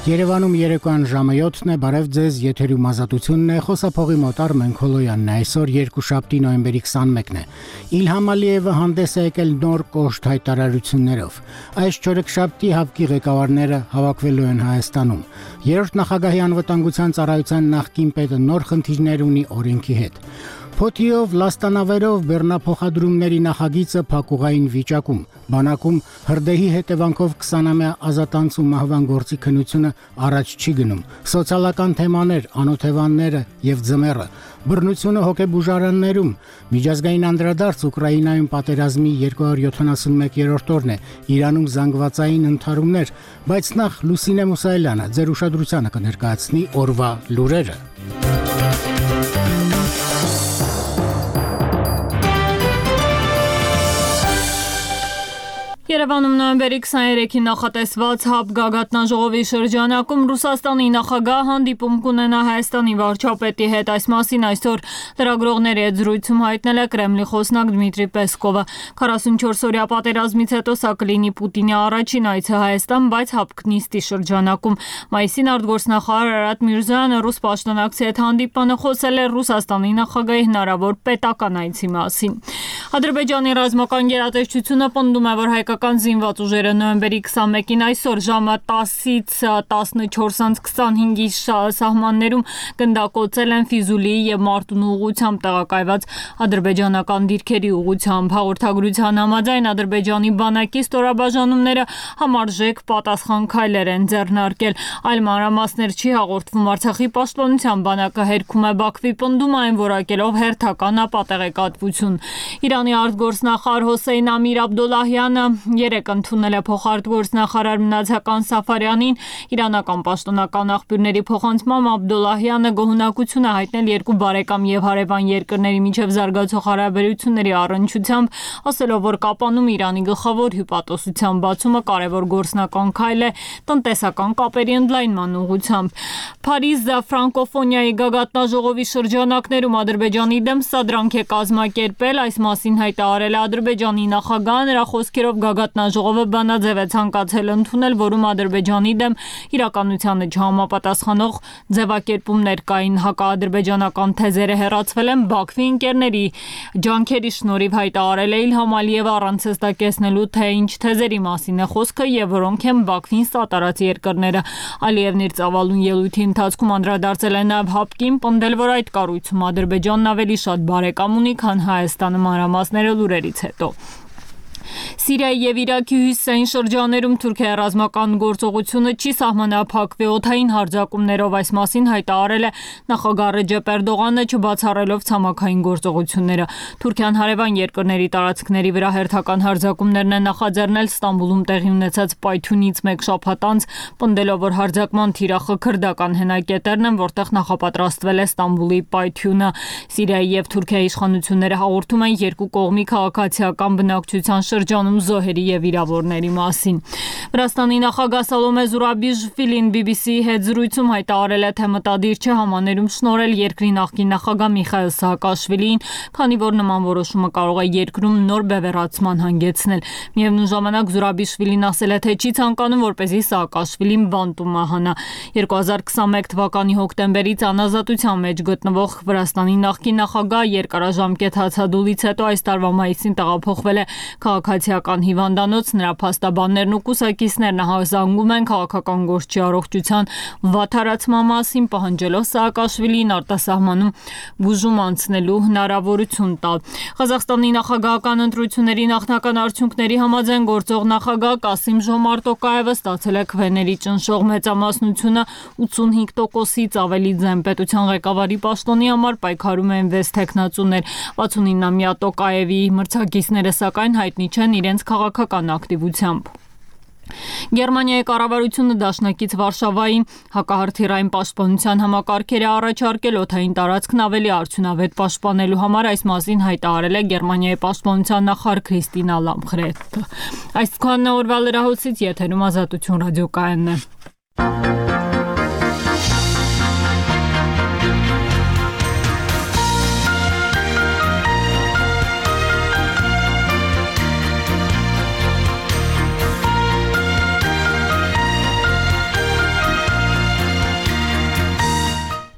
Երևանում երեկոյան ժամը 7-ն է, բարև ձեզ, եթերում ազատությունն է, խոսափողի մոտ Արմեն Քոլոյանն է, այսօր երկուշաբթի նոյեմբերի 21-ն է։ Իլհամ Ալիևը հանդես է եկել նոր կոշտ հայտարարություններով։ Այս չորեքշաբթի ՀԱՊԿ-ի ղեկավարները հավաքվելու են Հայաստանում։ Երրորդ նախագահի անվտանգության ծառայության նախկին պետը նոր խնդիրներ ունի օրենքի հետ։ Փոթիով, լաստանավերով բեռնափոխադրումների նախագիծը փակուղային վիճակում, բանակում հրդեհի հետևանքով 20-ամյա ազատանց ու մահվան գործի քննությունը առաջ չի գնում, սոցիալական թեմաներ, անօթևանները եւ ձմեռը, բռնությունը հոգեբուժարաններում, միջազգային անդրադարձ Ուկրաինայում պատերազմի 271-րդ օրն է, Իրանում զանգվածային ընդհարումներ, բայց նախ Լուսինե Մուսայելյանը ձեր ուշադրությանը կներկայացնի օրվա լուրերը։ Երևանում նոյեմբերի 23-ին նախատեսված ՀԱՊԿ գագաթնաժողովի շրջանակում Ռուսաստանի նախագահ հանդիպում կունենա Հայաստանի վարչապետի հետ, այս մասին այսօր լրագրողների հետ զրույցում հայտնել է Կրեմլի խոսնակ Դմիտրի Պեսկովը։ 44-օրյա պատերազմից հետո սա կլինի Պուտինի առաջին այցը Հայաստան, բայց ՀԱՊԿ նիստի շրջանակում։ Մայիսին արտգործնախարար Արարատ Միրզոյանը ռուս պաշտոնակցի հետ հանդիպանը խոսել է Ռուսաստանի նախագահի հնարավոր պետական այցի մասին։ Ադրբեջանի ռազմական գերատեսչությունը պնդում է, որ հայկական զինված ուժերը նոյեմբերի 21-ին այսօր ժամը 10-ից 14:25-ի սահմաններում գնդակոծել են Ֆիզուլիի եւ Մարտունու ուղղությամբ տեղակայված ադրբեջանական դիրքերի ուղղությամբ։ Հաղորդագրության համաձայն Ադրբեջանի բանակի ստորաբաժանումները համարժեք պատասխան քայլեր են ձեռնարկել։ Այլ մանրամասներ չի հաղորդվում։ Արցախի պաշտպանության բանակը հերքում է Բաքվի պնդումային որակելով հերթական ապատեղեկատվություն։ Իրանի արտգործնախարար Հոսեյն Ամիր Աբդոլլահյանը երեկ ընդունել է փոխարտգործնախարար Մնացական Սաֆարյանին։ Իրանական պաշտոնական աղբյուրների փոխանցմամբ Աբդոլլահյանը գոհունակություն է հայտնել երկու բարեկամ եւ հարևան երկրների միջև զարգացող հարաբերությունների առնչությամբ, ասելով, որ Կապանում Իրանի գլխավոր հյուպատոսության բացումը կարևոր գործնական քայլ է տնտեսական կապերի ընդլայնման ուղղությամբ։ Փարիզ ֆրանկոֆոնիայի գագաթնաժողովի շրջանակներում Ադրբեջանի դեմ սադրանք է կազմակերպել, այս մասին հայտարարել է Ադրբեջանի նախագահը, նրա խոսքերով գագաթնաժողովը բանաձև է ցանկացել ընդունել, որում Ադրբեջանի դեմ իրականությանը չհամապատասխանող ձևակերպումներ կային։ Հակաադրբեջանական թեզերը հեռացվել են Բաքվի ընկերների ջանքերի շնորհիվ, հայտարարել է Իլհամ Ալիևը առանց հստակեցնելու, թե ինչ թեզերի մասին է խոսքը եւ որոնք են Բաքվին սատարած երկրները։ Ալիևն իր ծավալուն ելույթի ընթացքում անդրադարձել է նաեւ ՀԱՊԿ-ին, պնդել, որ այդ կառույցում Ադրբեջանն ավելի շատ բարեկամ ունի, քան Հայաստանը, մանրամասները լուրերից հետո։ Սիրիայի եւ Իրաքի հյուսիսային շրջաներում Թուրքիայի ռազմական գործողությունը չի սահմանափակվի օդային հարձակումներով, այս մասին հայտարարել է նախագահ Ռեջեփ Էրդողանը, չբացառելով ցամաքային գործողությունները։ Թուրքիան հարևան երկրների տարածքների վրա հերթական հարձակումներն է նախաձեռնել Ստամբուլում տեղի ունեցած պայթյունից մեկ շաբաթ անց, պնդելով, որ հարձակման թիրախը քրդական հենակետերն են, որտեղ նախապատրաստվել է Ստամբուլի պայթյունը։ Սիրիայի եւ Թուրքիայի իշխանությունները հաղորդում են երկու կողմի քաղաքացիական բնակչության շրջանում զոհերի եւ վիրավորների մասին։ Վրաստանի նախագահ Սալոմե Զուրաբիշվիլին BBC-ի հետ զրույցում հայտարարել է, թե մտադիր չէ համաներում շնորհել երկրի նախկին նախագահ Միխայիլ Սահակաշվիլիին, քանի որ նման որոշումը կարող է երկրում նոր բևեռացման հանգեցնել։ Միևնույն ժամանակ Զուրաբիշվիլին ասել է, թե չի ցանկանում, որպեսզի Սահակաշվիլին բանտում մահանա։ 2021 թվականի հոկտեմբերից անազատության մեջ գտնվող Վրաստանի նախկին նախագահ երկարաժամկետ հացադուլից հետո այս տարվա մայիսին տեղափոխվել է քաղաքացիական հիվանդանոց, նրա փաստաբաններն ու կուսակիցներն հազանգում են քաղաքական գործչի առողջության վատթարացման մասին, պահանջելով Սահակաշվիլիին արտասահմանում բուժում անցնելու հնարավորություն տալ։ Ղազախստանի նախագահական ընտրությունների նախնական արդյունքների համաձայն գործող նախագահ Կասիմ Ժոմարտ Տոկաևը ստացել է քվեների ճնշող մեծամասնությունը 85%-ից ավելի ձայն։ Պետության ղեկավարի պաշտոնի համար պայքարում են 6 թեկնածուներ։ 69-ամյա Տոկաևի մրցակիցները սակայն հայտնի չեն իրենց քաղաքական ակտիվությամբ։ Գերմանիայի կառավարությունը դաշնակից Վարշավային հակահրթիռային պաշտպանության համակարգեր է առաջարկել օդային տարածքն ավելի արդյունավետ պաշտպանելու համար, այս մասին հայտարարել է Գերմանիայի պաշտպանության նախարար Քրիստինա Լամխրեթը։ Այսքանն է օրվա լրահոսից, եթերում Ազատություն ռադիոկայանն է։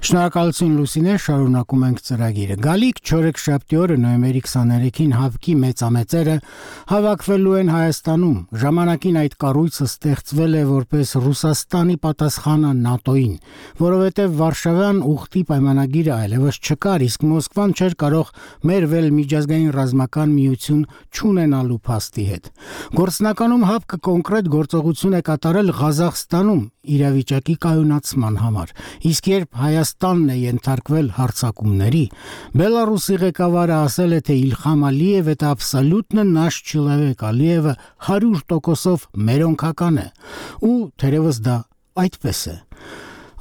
Շնորհակալություն Լուսինե, շարունակում ենք ծրագիրը։ Գալիք չորեքշաբթի օրը նոյեմբերի 23-ին ՀԱՎԿ-ի մեծամեծերը հավաքվելու են Հայաստանում։ Ժամանակին այդ կառույցը ստեղծվել է որպես Ռուսաստանի պատասխանը ՆԱՏՕ-ին, որովհետև Վարշավյան ուխտի պայմանագիրը այլևս չկար, իսկ Մոսկվան չէր կարող մերվել միջազգային ռազմական միություն չունենալու փաստի հետ։ Գործնականում ՀԱՎԿ-ը կոնկրետ գործողություն է կատարել Ղազախստանում իրավիճակի կայունացման համար, իսկ երբ Հայաստանն է ենթարկվել հարձակումների, Բելարուսի ղեկավարը ասել է, թե Իլխամ Ալիևը это абсолютно наш человек, Ալիևը 100%-ով մերոնքական է, ու թերևս դա այդպես է։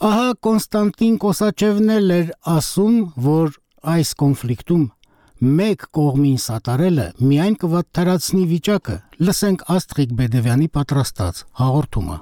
Ահա Կոնստանտին Կոսաչևն էր ասում, որ այս կոնֆլիկտում մեկ կողմին սատարելը միայն կվատթարացնի վիճակը։ Լսենք Աստղիկ Բեդևյանի պատրաստած հաղորդումը։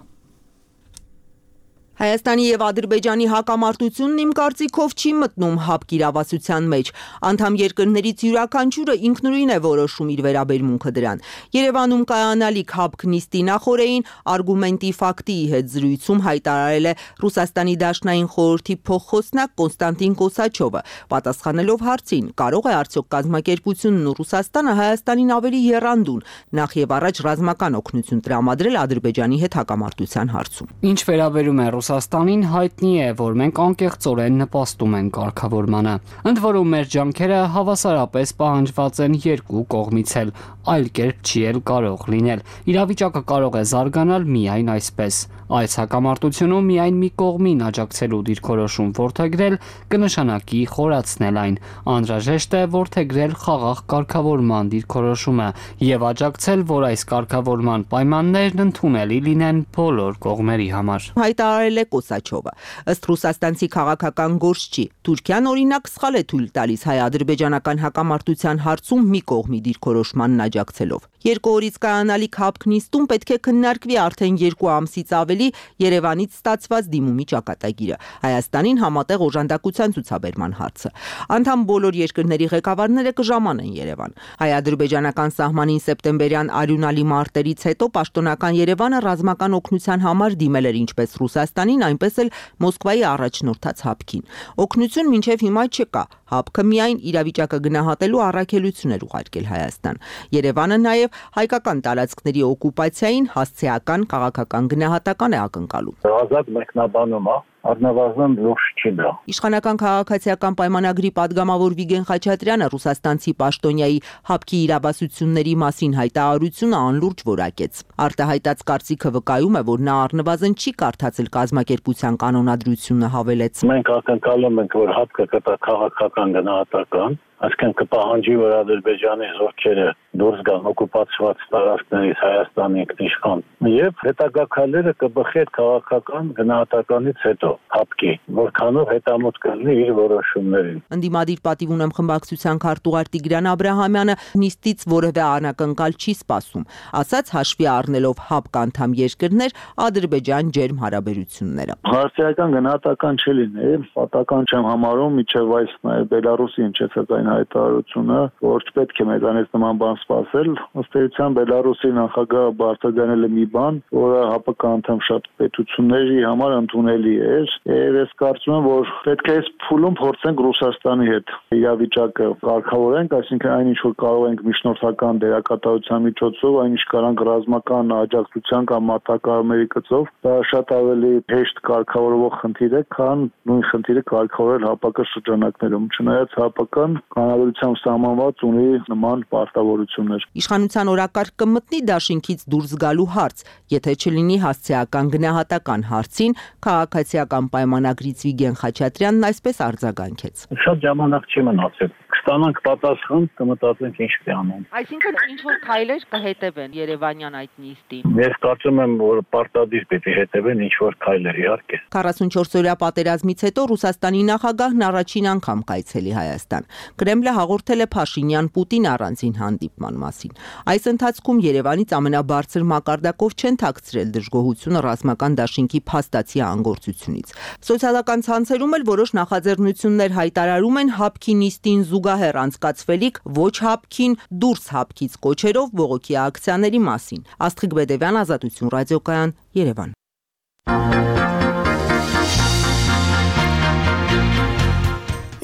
Հայաստանի եւ Ադրբեջանի հակամարտությունն իմ կարծիքով չի մտնում ՀԱՎԿ իրավասության մեջ։ Անդամ երկրներից յուրաքանչյուրը ինքնուրույն է որոշում իր վերաբերմունքը դրան։ Երևանում կայանալիք ՀԱՎԿ նիստի նախօրեին արգումենտի ֆակտիի հետ զրույցում հայտարարել է Ռուսաստանի Դաշնային խորհրդի փոխխոսնակ Կոնստանտին Կոսաչովը, պատասխանելով հարցին՝ կարող է արդյոք կազմակերպությունն ու Ռուսաստանը Հայաստանին ավելի եռանդուն, նախ եւ առաջ ռազմական օգնություն տրամադրել Ադրբեջանի հետ հակամարտության հարցում։ Ինչ վերաբերում է Ռուսաստանին, հայտնի է, որ մենք անկեղծորեն նպաստում ենք կարգավորմանը։ Ընդ որում մեր ջանքերը հավասարապես պահանջված են երկու կողմից էլ, այլ կերպ չի էլ կարող լինել։ Իրավիճակը կարող է զարգանալ միայն այսպես։ Այս հակամարտությունում միայն մի կողմին աջակցելու դիրքորոշում որդեգրել կնշանակի խորացնել այն։ Անհրաժեշտ է որդեգրել խաղաղ կարգավորման դիրքորոշումը եւ աջակցել, որ այս կարգավորման պայմաններն ընդունելի լինեն բոլոր կողմերի համար։ Հայտարարել է Կոսաչովը։ Ըստ ռուսաստանցի քաղաքական գործչի, Թուրքիան օրինակ սխալ է թույլ տալիս հայ-ադրբեջանական հակամարտության հարցում մի կողմի դիրքորոշմանն աջակցելով։ Երկու օրից կայանալիք ՀԱՎԿ նիստում պետք է քննարկվի արդեն 2 ամսից ավելի Երևանից ստացված դիմումի ճակատագիրը, Հայաստանին համատեղ օժանդակության ցուցաբերման հարցը։ Անդամ բոլոր երկրների ղեկավարները կժամանեն Երևան։ Հայ-ադրբեջանական սահմանին սեպտեմբերյան արյունալի մարտերից հետո պաշտոնական Երևանը ռազմական օգնության համար դիմել էր ինչպես Ռուսաստանին, այնպես էլ Մոսկվայի առաջնորդած ՀԱՎԿ-ին։ Օգնություն մինչև հիմա չկա։ ՀԱՎԿ-ը միայն իրավիճակը գնահատելու առաքելություն էր ուղարկել Հայաստան։ Երևանը նաև հայկական տարածքների օկուպացիային հասցեական քաղաքական գնահատական է ակնկալում։ Ազատ մեկնաբանում է, առնվազն լուրջ չի դա։ Իշխանական քաղաքացիական պայմանագրի падգամավոր Վիգեն Խաչատրյանը ռուսաստանցի պաշտոնյայի ՀԱՎԿ-ի իրավասությունների մասին հայտարարությունը անլուրջ որակեց։ Արտահայտած կարծիքը վկայում է, որ նա առնվազն չի կարդացել կազմակերպության կանոնադրությունը, հավելեց։ Մենք ակնկալում ենք, որ ՀԱՎԿ-ը կտա քաղաքական գնահատական, այսինքն կպահանջի, որ Ադրբեջանի զորքերը դուրս գան օկուպացված տարածքներից Հայաստանի ինքնիշխան եւ հետագա քայլերը կբխի այդ քաղաքական գնահատականից հետո ՀԱՎԿ-ի, որքանով հետամուտ կլինի իր որոշումներին։ Ընդդիմադիր պատիվ ունեմ խմբակցության քարտուղար Տիգրան Աբրահամյանը նիստից որևէ անակնկալ չի սպասում, ասաց հաշվի առնելով ՀԱՎԿ անդամ երկրներ Ադրբեջան ջերմ հարաբերությունները։ Հասարակական գնահատական չի լինի, պատական չեմ համարում միջև այս նաև Բելարուսի ինչեցած այն հայտարարությունը, որ չպետք է մեզանից նման բան սպասել, ըստ էության Բելարուսի նախագահը բարձրաձայնել է մի բան, որը ՀԱՊԿ անդամ շատ պետությունների համար ընդունելի էր, եւ ես կարծում եմ, որ պետք է այս փուլում փորձենք Ռուսաստանի հետ իրավիճակը կարգավորենք, այսինքն այնինչ որ կարող ենք միջնորդական դերակատարության միջոցով, այնինչ կարանք ռազմական աջակցության կամ մարտակառումների գծով, դա շատ ավելի հեշտ կարգավորվող խնդիր է, քան նույն խնդիրը կարգավորել ՀԱՊԿ շրջանակներում, չնայած ՀԱՊԿ-ն կանոնադրությամբ սահմանված ունի նման պարտավորություններ։ Իշխանության օրակարգ կմտնի դաշինքից դուրս գալու հարց, եթե չլինի հասցեական գնահատական հարցին, քաղաքացիական պայմանագրից Վիգեն Խաչատրյանն այսպես արձագանքեց։ Շատ ժամանակ չի մնացել։ Կստանանք պատասխան, կմտածենք ինչ կյանենք։ Այսինքն ինչ որ քայլեր կհետևեն Երևանյան այդ նիստին։ Ես կարծում եմ, որ պարտադիր պետք է հետևեն ինչ որ քայլեր, իհարկե։ 44-օրյա պատերազմից հետո Ռուսաստանի նախագահն առաջին անգամ կայցելի Հայաստան։ Կրեմլը հաղորդել է Փաշինյան-Պուտին առանձին հանդիպման մասին։ Այս ընթացքում Երևանից ամենաբարձր մակարդակով չեն թաքցրել դժգոհությունը ռազմական դաշինքի փաստացի անգործությունից։ Սոցիալական ցանցերում էլ որոշ նախաձեռնություններ հայտարարում են ՀԱՊԿ-ի նիստին զուգահեռ անցկացվելիք ոչ ՀԱՊԿ-ին դուրս ՀԱՊԿ-ից կոչերով բողոքի ակցիաների մասին։ Աստղիկ Բեդևյան, Ազատություն ռադիոկայան, Երևան։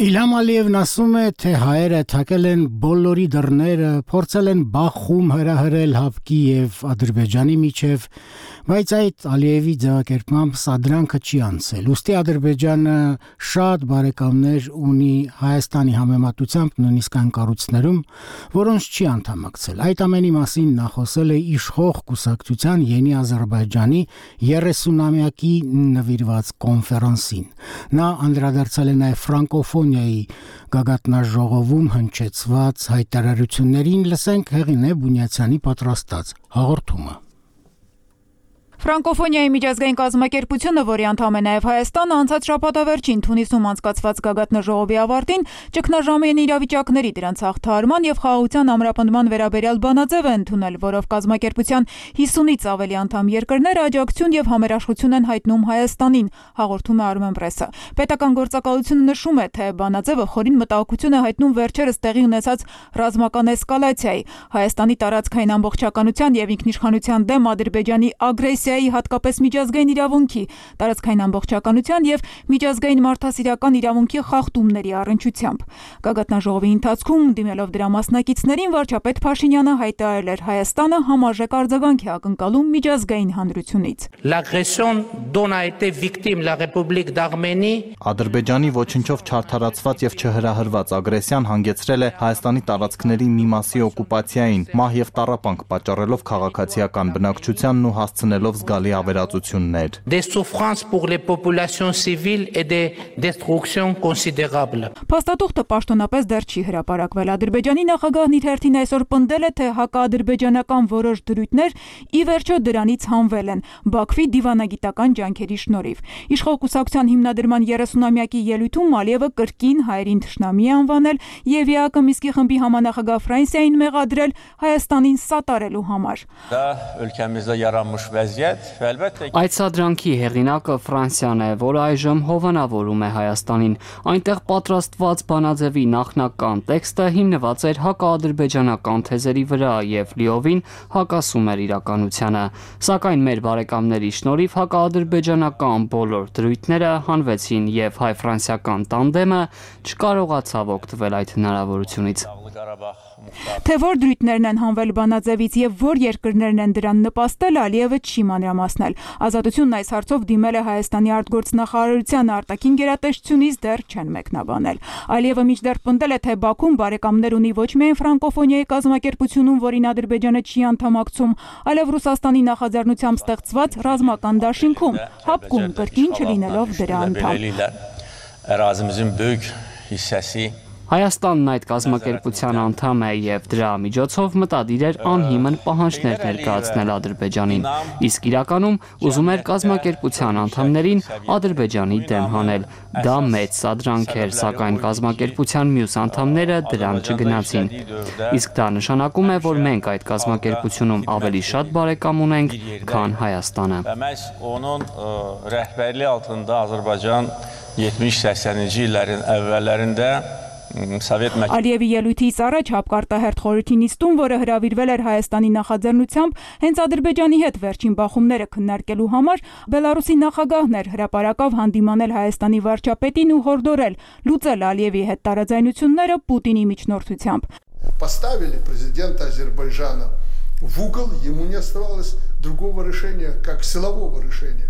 Իլհամ Ալիևն ասում է, թե հայերը թակել են բոլորի դռները, փորձել են բախում հրահրել Հապկի եւ Ադրբեջանի միջև, բայց այդ Ալիևի ձևակերպմամբ սադրանքը չի անցել։ Ուստի Ադրբեջանը շատ բարեկամներ ունի Հայաստանի համեմատությամբ նույնիսկ այն կառույցներում, որոնց չի անդամակցել։ Այդ ամենի մասին նա խոսել է իշխող կուսակցության Յենի Ադրբեջանի 30-ամյակի նվիրված կոնֆերանսին։ Նա անդրադարձել է նաև ֆրանկոֆոնիայի գագաթնաժողովում հնչեցված հայտարարություններին, լսենք Հեղինե Բունյացյանի պատրաստած հաղորդումը։ Ֆրանկոֆոնիայի միջազգային կազմակերպությունը, որի անդամ է նաև Հայաստանը, անցած շաբաթավերջին Թունիսում անցկացված գագաթնաժողովի ավարտին ճգնաժամային իրավիճակների, դրանց հաղթահարման եւ խաղաղության ամրապնդման վերաբերյալ բանաձև է ընդունել, որով կազմակերպության 50-ից ավելի անդամ երկրներ աջակցություն եւ համերաշխություն են հայտնում Հայաստանին, հաղորդում է Armen Press-ը։ Պետական գործակալությունը նշում է, թե բանաձևը խորին մտահոգություն է հայտնում վերջերս տեղի ունեցած ռազմական էսկալացիայի, Հայաստանի տարածքային ամբողջականության եւ ինքնիշխանության դեմ Ադրբեջանի ագրեսիայի, հատկապես միջազգային իրավունքի, տարածքային ամբողջականության եւ միջազգային մարդասիրական իրավունքի խախտումների առնչությամբ։ Գագաթնաժողովի ընթացքում դիմելով դրա մասնակիցներին վարչապետ Փաշինյանը հայտարարել էր Հայաստանը համարժեք արձագանք է ակնկալում միջազգային հանրությունից։ L'agression dont a été victime la République d'Arménie Ադրբեջանի ոչնչով չարդարացված եւ չհրահրված ագրեսիան հանգեցրել է Հայաստանի տարածքների մի մասի օկուպացիային, մահ եւ տառապանք պատճառելով քաղաքացիական բնակչությանն ու հասցնելով զգալի ավերածություններ։ Des souffrances pour les populations civiles et des destructions considérables. Փաստաթուղթը պաշտոնապես դեռ չի հրապարակվել։ Ադրբեջանի նախագահն իր հերթին այսօր պնդել է, թե հակաադրբեջանական որոշ դրույթներ ի վերջո դրանից հանվել են Բաքվի դիվանագիտական ջանքերի շնորհիվ։ Իշխող կուսակցության հիմնադրման 30-ամյակի ելույթում Ալիևը կրկին հայերին թշնամի է անվանել եւ ԵԱԿ Միսկի խմբի համանախագահ Ֆրանսիային մեղադրել Հայաստանին սատարելու համար։ Դա өлkəmizdə yaranmış vəziyyət və əlbəttə Այդ սադրանքի հեղինակը Ֆրանսիան է, որը այժմ հովանավորում է Հայաստանին։ Այնտեղ պատրաստված բանաձևի նախնական տեքստը հիմնված էր հակաադրբեջանական թեզերի վրա եւ լիովին հակասում էր իրականությանը։ Սակայն մեր բարեկամների շնորհիվ հակաադրբեջանական բոլոր դրույթները հանվեցին եւ հայ-ֆրանսիական տանդեմը չկարողացավ օգտվել այդ հնարավորությունից։ Թե որ դրույթներն են հանվել բանաձևից եւ որ երկրներն են դրան նպաստել, Ալիևը չի մանրամասնել։ Ազատությունն այս հարցով դիմել է Հայաստանի արտգործնախարարության արտաքին գերատեսչությունից, դեռ չեն մեկնաբանել։ Ալիևը մինչդեռ պնդել է, թե Բաքուն բարեկամներ ունի ոչ միայն ֆրանկոֆոնիայի կազմակերպությունում, որին Ադրբեջանը չի անդամակցում, այլև Ռուսաստանի նախաձեռնությամբ ստեղծված ռազմական դաշինքում, Հապկում կրկին չլինելով դրա անդամ։ ərazimizin böyük hissəsi Հայաստանն այդ կազմակերպության անդամ է եւ դրա միջոցով մտադիր էր անհիմն պահանջներ ներկայացնել Ադրբեջանին, իսկ իրականում ուզում էր կազմակերպության անդամներին Ադրբեջանի դեմ հանել։ Դա մեծ սադրանք էր, սակայն կազմակերպության մյուս անդամները դրան չգնացին։ Իսկ դա նշանակում է, որ մենք այդ կազմակերպությունում ավելի շատ բարեկամ ունենք, քան Հայաստանը։ Məhz onun rəhbərliyi altında Azərbaycan 70-80-ci illərin əvvəllərində Ալիևի ելույթից առաջ հապկարտահերթ խորհրդի նիստում, որը հրավիրվել էր Հայաստանի նախաձեռնությամբ, հենց Ադրբեջանի հետ վերջին բախումները քննարկելու համար, Բելարուսի նախագահն էր հրապարակավ հանդիմանել Հայաստանի վարչապետին ու հորդորել լուծել Ալիևի հետ տարաձայնությունները Պուտինի միջնորդությամբ։ Поставили президента Азербайджана в угол, ему не оставалось другого решения, как силового решения.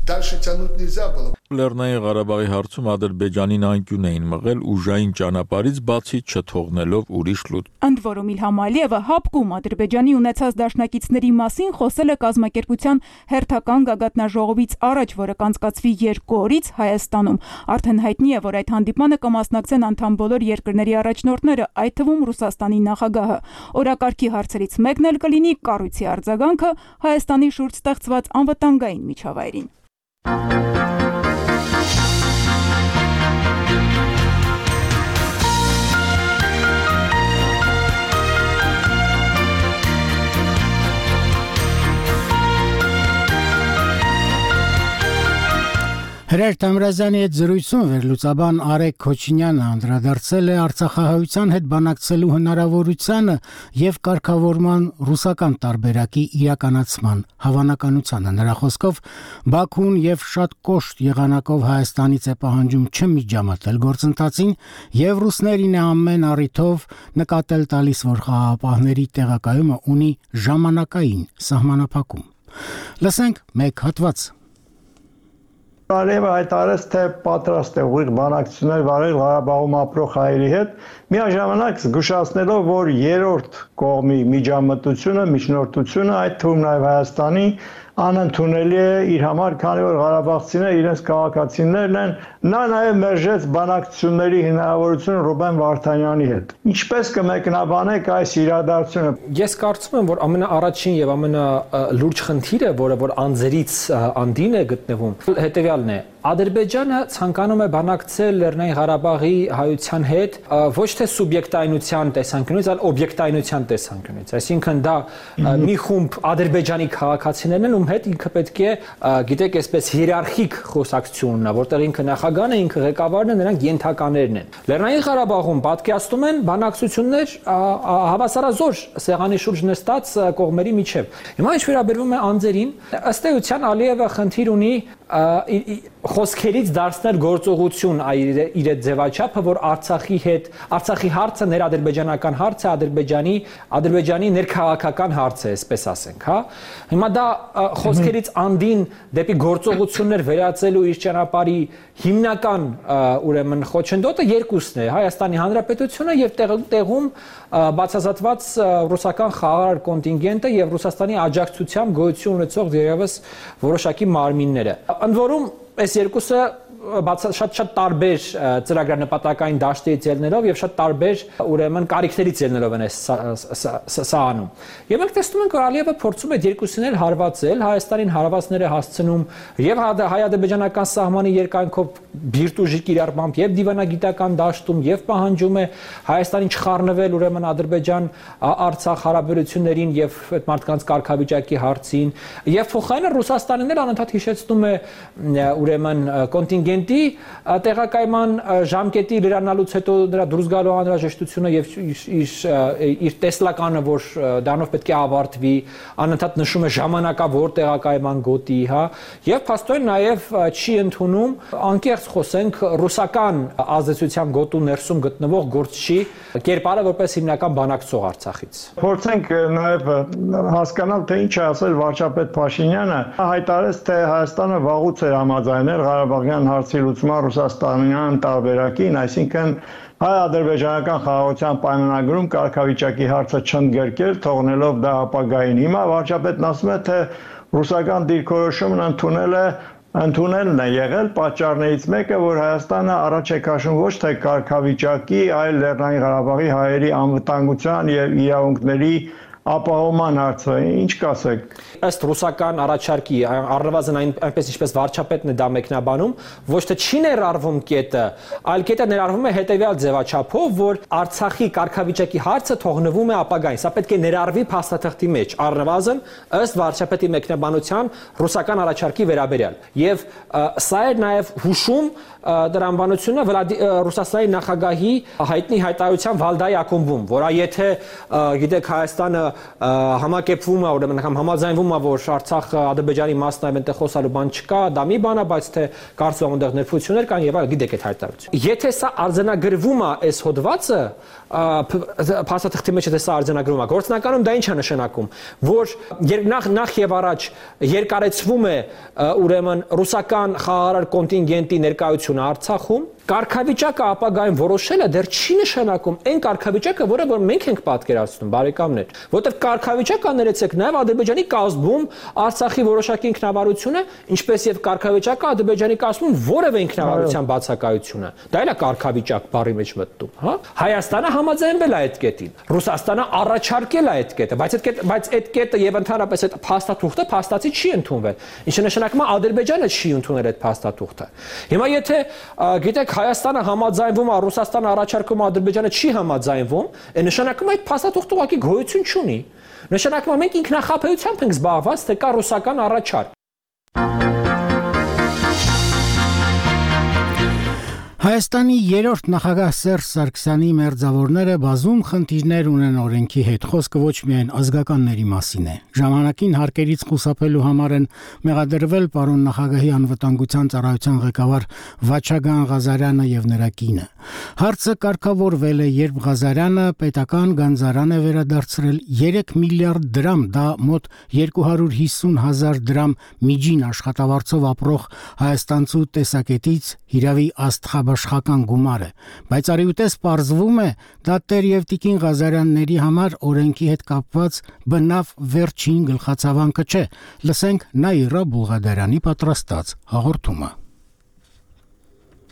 Дальше тянуть нельзя было. Լեռնային Ղարաբաղի հարցում Ադրբեջանին անկյուն էին մղել ուժային ճանապարհից բացի չթողնելով ուրիշ լուտ։ Ընդ որում Իլհամ Ալիևը Հապկում Ադրբեջանի ունեցած դաշնակիցների մասին խոսել է կազմակերպության հերթական գագաթնաժողովից առաջ, որը կանցկացվի 2 օրից Հայաստանում։ Արդեն հայտնի է, որ այդ հանդիպմանը կմասնակցեն անդամ բոլոր երկրների առաջնորդները, այդ թվում Ռուսաստանի նախագահը։ Օրակարգի հարցերից մեկն էլ կլինի կառույցի արձագանքը Հայաստանի շուրջ ստեղծված անվտանգային միջավայրին։ Հրեր Թամրազյանի հետ զրույցում վերլուծաբան Արեգ Քոչինյանը անդրադարձել է Արցախահայության հետ բանակցելու հնարավորությանը եւ կարգավորման ռուսական տարբերակի իրականացման հավանականությանը։ Նրա խոսքով Բաքուն եւ շատ կոշտ եղանակով Հայաստանից է պահանջում չմիջամտել գործընթացին եւ ռուսներին է ամեն առիթով նկատել տալիս, որ խաղաղապահների տեղակայումը ունի ժամանակային սահմանափակում։ Լսենք մեկ հատված։ Արևը հայտարարեց, թե պատրաստ է ուղիղ բանակցություններ վարել Ղարաբաղում ապրող հայերի հետ, միաժամանակ զգուշացնելով, որ երրորդ կողմի միջամտությունը, միջնորդությունը, այդ թվում նաև Հայաստանի, անընդունելի է իր համար, քանի որ ղարաբաղցիները իրենց քաղաքացիներն են։ Նա նաև մերժեց բանակցությունների հնարավորությունը Ռուբեն Վարդանյանի հետ։ Ինչպես կմեկնաբանեք այս իրադարձությունը։ Ես կարծում եմ, որ ամենաառաջին եւ ամենալուրջ խնդիրը, որը որ անձերից անդին է գտնվում, հետեւյալն է. Ադրբեջանը ցանկանում է բանակցել Լեռնային Ղարաբաղի հայության հետ ոչ թե սուբյեկտայնության տեսանկյունից, այլ օբյեկտայնության տեսանկյունից։ Այսինքն դա մի խումբ ադրբեջանի քաղաքացիներն են, ում հետ ինքը պետք է, գիտեք, այսպես հիերարխիկ խոսակցություն ունենա, որտեղ ինքը նախագահն է, ինքը ղեկավարն է, նրանք ենթականերն են։ Լեռնային Ղարաբաղում պատկերացնում են բանակցություններ հավասարազոր սեղանի շուրջ նստած կողմերի միջև։ Հիմա ինչ վերաբերվում է անձերին, ըստ էության Ալիևը խնդիր ունի խոսքերից դարձնել գործողություն իր ձևաչափը, որ Արցախի հարցը ներադրբեջանական հարց է, Ադրբեջանի ներքաղաքական հարց է, այսպես ասենք, հա։ Հիմա դա խոսքերից անդին դեպի գործողություններ վերածելու իր ճանապարհի հիմնական ուրեմն խոչընդոտը երկուսն է՝ Հայաստանի Հանրապետությունը եւ տեղում բացասատված ռուսական խաղաղ կոնտինգենտը եւ Ռուսաստանի աջակցությամբ գոյություն ունեցող դերևս որոշակի մարմինները։ Ընդ որում այս երկուսը շատ տարբեր ծրագրանպատակային դաշտերից ելնելով եւ շատ տարբեր ուրեմն կարիքներից ելնելով են սա անում։ Եվ մենք տեսնում ենք, որ Ալիևը փորձում է երկուսին էլ հարվածել, Հայաստանին հարվածներ է հասցնում եւ հայ-ադրբեջանական սահմանի երկայնքով բիրտուժի կիրառմամբ եւ դիվանագիտական դաշտում եւ պահանջում է Հայաստանին չխառնվել ուրեմն Ադրբեջան-Արցախ հարաբերություններին եւ այդ մարդկանց կարգավիճակի հարցին եւ փոխարենը Ռուսաստանին էլ անընդհատ հիշեցնում է ուրեմն կոնտինգենտի տեղակայման ժամկետի լրանալուց հետո նրա դուրս գալու անհրաժեշտությունը եւ իր տեսլականը, որ դրանով պետք է ավարտվի, անընդհատ նշում է ժամանակավոր տեղակայման գոտի, հա, եւ փաստորեն նաեւ չի ընդունում, անկեղծ խոսենք, ռուսական ազդեցության գոտու ներսում գտնվող գործչի կերպարը որպես հիմնական բանակցող Արցախից։ Փորձենք նաեւ հասկանալ, թե ինչ է ասել վարչապետ Փաշինյանը, հայտարարեց, թե Հայաստանը վաղուց էր համաձայնել Ղարաբաղյան հարցի լուծման ռուսաստանյան տարբերակին, այսինքն հայ-ադրբեջանական խաղաղության պայմանագրում կարգավիճակի հարցը չընդգրկել, թողնելով դա ապագային։ Հիմա վարչապետն ասում է, թե ռուսական դիրքորոշումն ընդունելն է եղել պատճառներից մեկը, որ Հայաստանը առաջ է քաշում ոչ թե կարգավիճակի, այլ Լեռնային Ղարաբաղի հայերի անվտանգության եւ իրավունքների ապահովման հարցը, ինչ կասեք։ Ըստ ռուսական առաջարկի, առնվազն այնպես ինչպես վարչապետն է դա մեկնաբանում, ոչ թե չի ներառվում կետը, այլ կետը ներառվում է հետևյալ ձևաչափով, որ Արցախի կարգավիճակի հարցը թողնվում է ապագային, սա պետք է ներառվի փաստաթղթի մեջ, առնվազն ըստ վարչապետի մեկնաբանության ռուսական առաջարկի վերաբերյալ։ Եվ սա է նաև հուշում դրամբանությունը Ռուսաստանի նախագահի հայտնի հայտարարության Վալդայի ակումբում, որը եթե գիտեք Հայաստանը համակերպվում է, ուրեմն համաձայնվում է, որ Արցախը Ադրբեջանի մասն է, այնտեղ խոսալու բան չկա, դա մի բան է, բայց թե կարծում եմ այնտեղ ներփություններ կան եւ այլ, գիտեք այդ հայտարարությունը։ Եթե սա արձանագրվում է այս հոդվածը, փաստաթղթի մեջ դա արձանագրվում է, գործնականում դա ինչ է նշանակում, որ նախ եւ առաջ երկարեցվում է ուրեմն ռուսական խաղաղ կոնտինգենտի ներկայությունը Արցախում, կարգավիճակը ապագայում որոշելը դեռ չի նշանակում այն կարգավիճակը, որը որ մենք ենք պատկերացնում, բարեկամներ, որտեղ կարգավիճակը ներեցեք նաև Ադրբեջանի կազմում Արցախի որոշակի ինքնավարությունը, ինչպես եւ կարգավիճակը Ադրբեջանի կազմում որևէ ինքնավարության բացակայությունը։ Դա էլ է կարգավիճակ բառի մեջ մտնում, հա։ Հայաստանը համաձայնվել է այդ կետին, Ռուսաստանը առաջարկել է այդ կետը, բայց այդ կետը եւ ընդհանրապես այդ փաստաթուղթը փաստացի չի ընդունվել, ինչը նշանակում է Ադրբեջանը չի ընդունել այդ փաստաթուղթը։ Հիմա եթե գիտեք Հայաստանը համաձայնվում է, Ռուսաստանը առաջարկում է, Ադրբեջանը չի համաձայնվում, այն նշանակում է այդ փաստաթուղթը ուղղակի գոյություն չունի։ Նշանակում է մենք ինքնախապեյությամբ ենք զբաղված, թե կա ռուսական առաջարկ։ Հայաստանի երրորդ նախագահ Սերժ Սարգսյանի մերձավորները բազում խնդիրներ ունեն օրենքի հետ, խոսքը ոչ միայն ազգականների մասին է։ Ժամանակին հարկերից խուսափելու համար են մեղադրվել պարոն նախագահի անվտանգության ծառայության ղեկավար Վաչագան Ղազարյանը եւ նրա կինը։ Հարցը կարգավորվել է, երբ Ղազարյանը պետական գանձարան է վերադարձրել 3 միլիարդ դրամ, դա մոտ 250,000 դրամ միջին աշխատավարձով ապրող հայաստանցու տեսակետից հիրավի աստղաբաշխական գումար է, բայց արիուտես պարզվում է, դա Տեր եւ Տիկին Ղազարյանների համար օրենքի հետ կապված բնավ վերջին գլխացավանքը չէ։ Լսենք Նաիրա Բուղադարյանի պատրաստած հաղորդումը։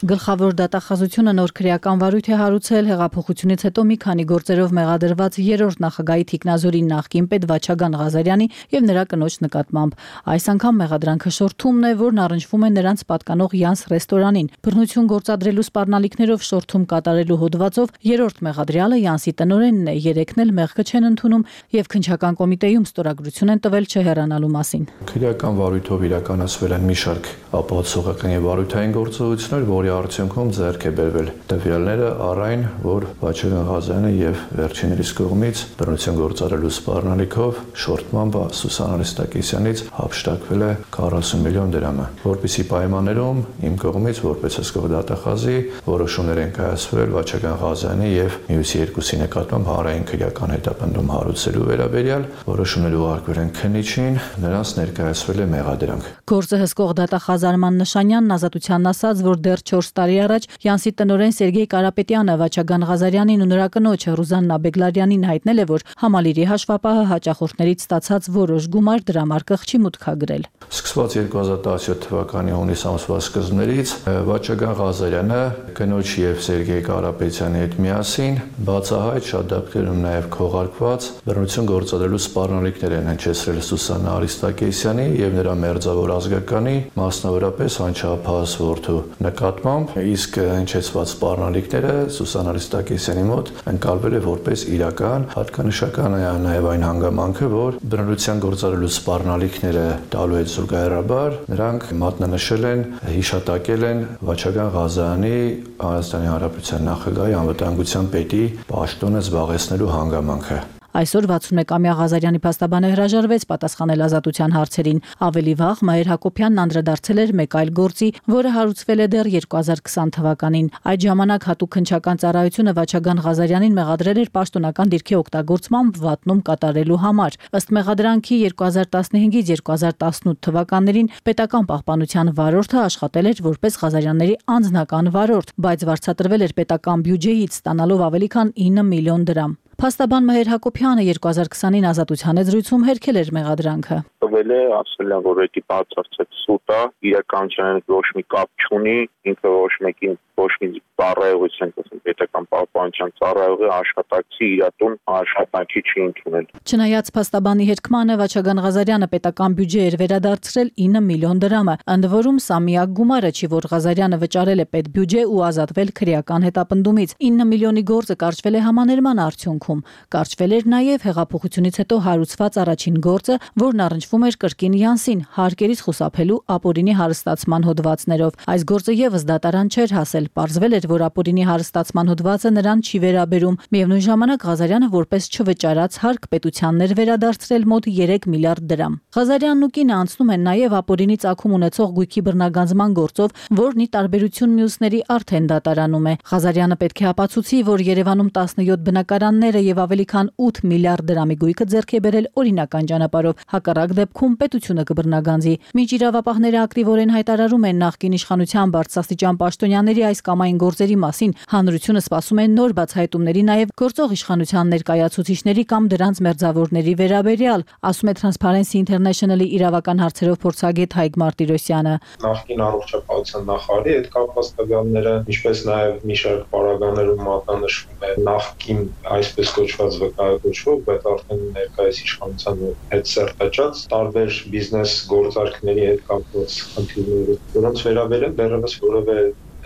Գլխավոր դատախազությունը նոր քրեական վարույթ է հարուցել հեղափոխությունից հետո մի քանի գործերով մեղադրված երրորդ նախագահի Թիկնազորի նախկին պետ Վաչագան Ղազարյանի եւ նրա կնոջ նկատմամբ։ Այս անգամ մեղադրանքը շորթումն է, որն առնչվում է նրանց պատկանող Յանս ռեստորանին։ Բռնություն գործադրելու սպառնալիքներով շորթում կատարելու հոդվածով երրորդ մեղադրյալը Յանսի տնօրենն է, երեքն էլ մեղքը չեն ընդունում եւ քննչական կոմիտեում ստորագրություն են տվել չհեռանալու մասին։ Քրեական վարույթով իրականացվել են մի շարք ապահովողական եւ վարույթային գործողություններ, որի արդյունքում ձեռք է բերվել տվյալները առայն, որ Վաչագան Ղազարյանը եւ վերջիններիս կողմից բռնություն գործադրելու սպառնալիքով շորթմամբ Սուսան Արիստակեսյանից հափշտակվել է 40 միլիոն դրամը, որպեսզի պայմաններում իմ կողմից որպես հսկող դատախազի որոշումներ են կայացվել Վաչագան Ղազարյանի եւ մյուս երկուսի նկատմամբ հանրային քրեական հետապնդում հարուցելու վերաբերյալ որոշումներ ուղարկվել են քննիչին, նրանց ներկայացվել է մեղադրանք։ Գործը հսկող դատախազ Արման Նշանյանն ազատությանն ասաց, որ դեռ 4 տարի առաջ Յանսի տնօրեն Սերգեյ Կարապետյանը Վաչագան Ղազարյանին ու նրա կնոջ Ռուզաննա Բեգլարյանին հայտնել է, որ համալիրի հաշվապահը հաճախորդներից ստացած որոշ գումար դրամարկղ չի մուտքագրել։ Սկսված 2017 թվականի հունիս ամսվա սկզբներից Վաչագան Ղազարյանը կնոջ եւ Սերգեյ Կարապետյանի հետ միասին բացահայտ շատ դեպքերում նաեւ քողարկված բռնություն գործադրելու սպառնալիքներ են հնչեցրել Սուսաննա Արիստակեսյանի եւ նրա մերձավոր ազգականի, մասնավորապես անչափահաս որդու նկատմամբ, իսկ հնչեցված սպառնալիքները Սուսան Արիստակեսյանի մոտ ընկալվել է որպես իրական, հատկանշական է նաև այն հանգամանքը, որ բռնության գործադրելու սպառնալիքները տալու հետ զուգահեռաբար նրանք մատնանշել են, հիշատակել են Վաչագան Ղազարյանի Հայաստանի Հանրապետության նախագահի անվտանգության պետի պաշտոնը զբաղեցնելու հանգամանքը։ Այսօր 61-ամյա Ղազարյանի փաստաբանը հրաժարվեց պատասխանել ազատության հարցերին։ Ավելի վաղ Մհեր Հակոբյանն անդրադարձել էր մեկ այլ գործի, որը հարուցվել է դեռ 2020 թվականին։ Այդ ժամանակ հատուկ քննչական ծառայությունը Վաչագան Ղազարյանին մեղադրել էր պաշտոնական դիրքի օգտագործմամբ վատնում կատարելու համար։ Ըստ մեղադրանքի 2015-ից 2018 թվականներին պետական պահպանության վարորդը աշխատել էր որպես Ղազարյանների անձնական վարորդ, բայց վարձատրվել էր պետական բյուջեից, ստանալով ավելի քան 9 միլիոն դրամ։ Փաստաբան Մհեր Հակոբյանը 2020-ին ազատության զրույցում հերքել էր մեղադրանքը։ Տվել է, ասել են, որ դա բացարձակ սուտ է, իրականության ոչ մի կապ չունի, ինքը ոչ մեկին ոչ մի ծառայողություն, ասենք պետական պահպանության ծառայողի աշխատակցի իրատուն աշխատանքի չի ընդունել։ Չնայած փաստաբանի հերքմանը Վաչագան Ղազարյանը պետական բյուջե էր վերադարձրել 9 միլիոն դրամը, ընդ որում սա միակ գումարը չի, որ Ղազարյանը վճարել է պետբյուջե ու ազատվել քրեական հետապնդումից։ 9 միլիոնի գործը կարճվել է համաներման արդյունքում։ Կարճվել էր նաև հեղափոխությունից հետո հարուցված առաջին գործը, որն առնչվում էր կրկին Յանսին, հարկերից խուսափելու ապօրինի հարստացման հոդվածներով։ Այս գործը եւս դատարան չէր հասել, պարզվել էր, որ ապօրինի հարստացման հոդվածը նրան չի վերաբերում։ Միևնույն ժամանակ Ղազարյանը որպես չվճարած հարկ պետությաններ վերադարձրել մոտ 3 միլիարդ դրամ։ Ղազարյանն ու կինը անցնում են նաև ապօրինի ծագում ունեցող գույքի բռնագանձման գործով, որն ի տարբերություն մյուսների արդեն դատարանում է։ Ղազարյանը պետք է ապացուցի, որ Երևանում 17 բնակարանները եւ ավելի քան 8 միլիարդ դրամի գույքը ձեռք է բերել օրինական ճանապարհով։ Հակառակ դեպքում պետությունը կբռնագանձի։ Միջիրավապահները ակտիվորեն հայտարարում են նախկին իշխանության բարձրաստիճան պաշտոնյաների այս կամ այն գործերի մասին։ Հանրությունը սպասում է նոր բացահայտումների նաև գործող իշխանության ներկայացուցիչների կամ դրանց մերձավորների վերաբերյալ, ասում է Transparency International-ի իրավական հարցերով փորձագետ Հայկ Մարտիրոսյանը։ Նախկին առողջապահության նախարարի հետ կապված տվյալները, ինչպես նաև մի շարք պարագաներում մատնանշվում է նախկին այսպես կոչված վկայակոչվող, բայց արդեն ներկայիս իշխանության հետ սերտաճած տարբեր բիզնես գործարքների հետ կապված խնդիրները, որոնց վերաբերյալ դեռևս որևէ,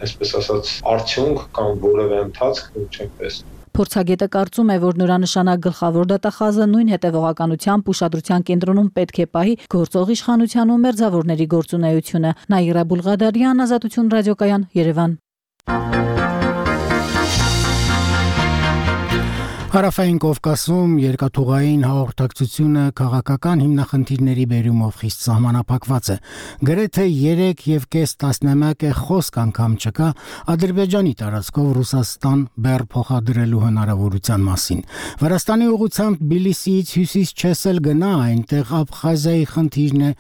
այսպես ասած, արդյունք կամ որևէ ընթացք չենք տեսնում։ Փորձագետը կարծում է, որ նորանշանակ գլխավոր դատախազը նույն հետևողականությամբ ուշադրության կենտրոնում պետք է պահի գործող իշխանության ու մերձավորների գործունեությունը։ Նաիրա Բուլղադարյան, Ազատություն ռադիոկայան, Երևան։ Հարավային Կովկասում երկաթուղային հաղորդակցությունը քաղաքական հիմնախնդիրների բերումով խիստ սահմանափակված է։ Գրեթե 3.5 տասնամյակ է խոսք անգամ չկա Ադրբեջանի տարածքով Ռուսաստան բեռ փոխադրելու հնարավորության մասին։ Վրաստանի ուղղությամբ Թբիլիսիից հյուսիս չեսել գնա, այնտեղ Աբխազիայի խնդիրն է,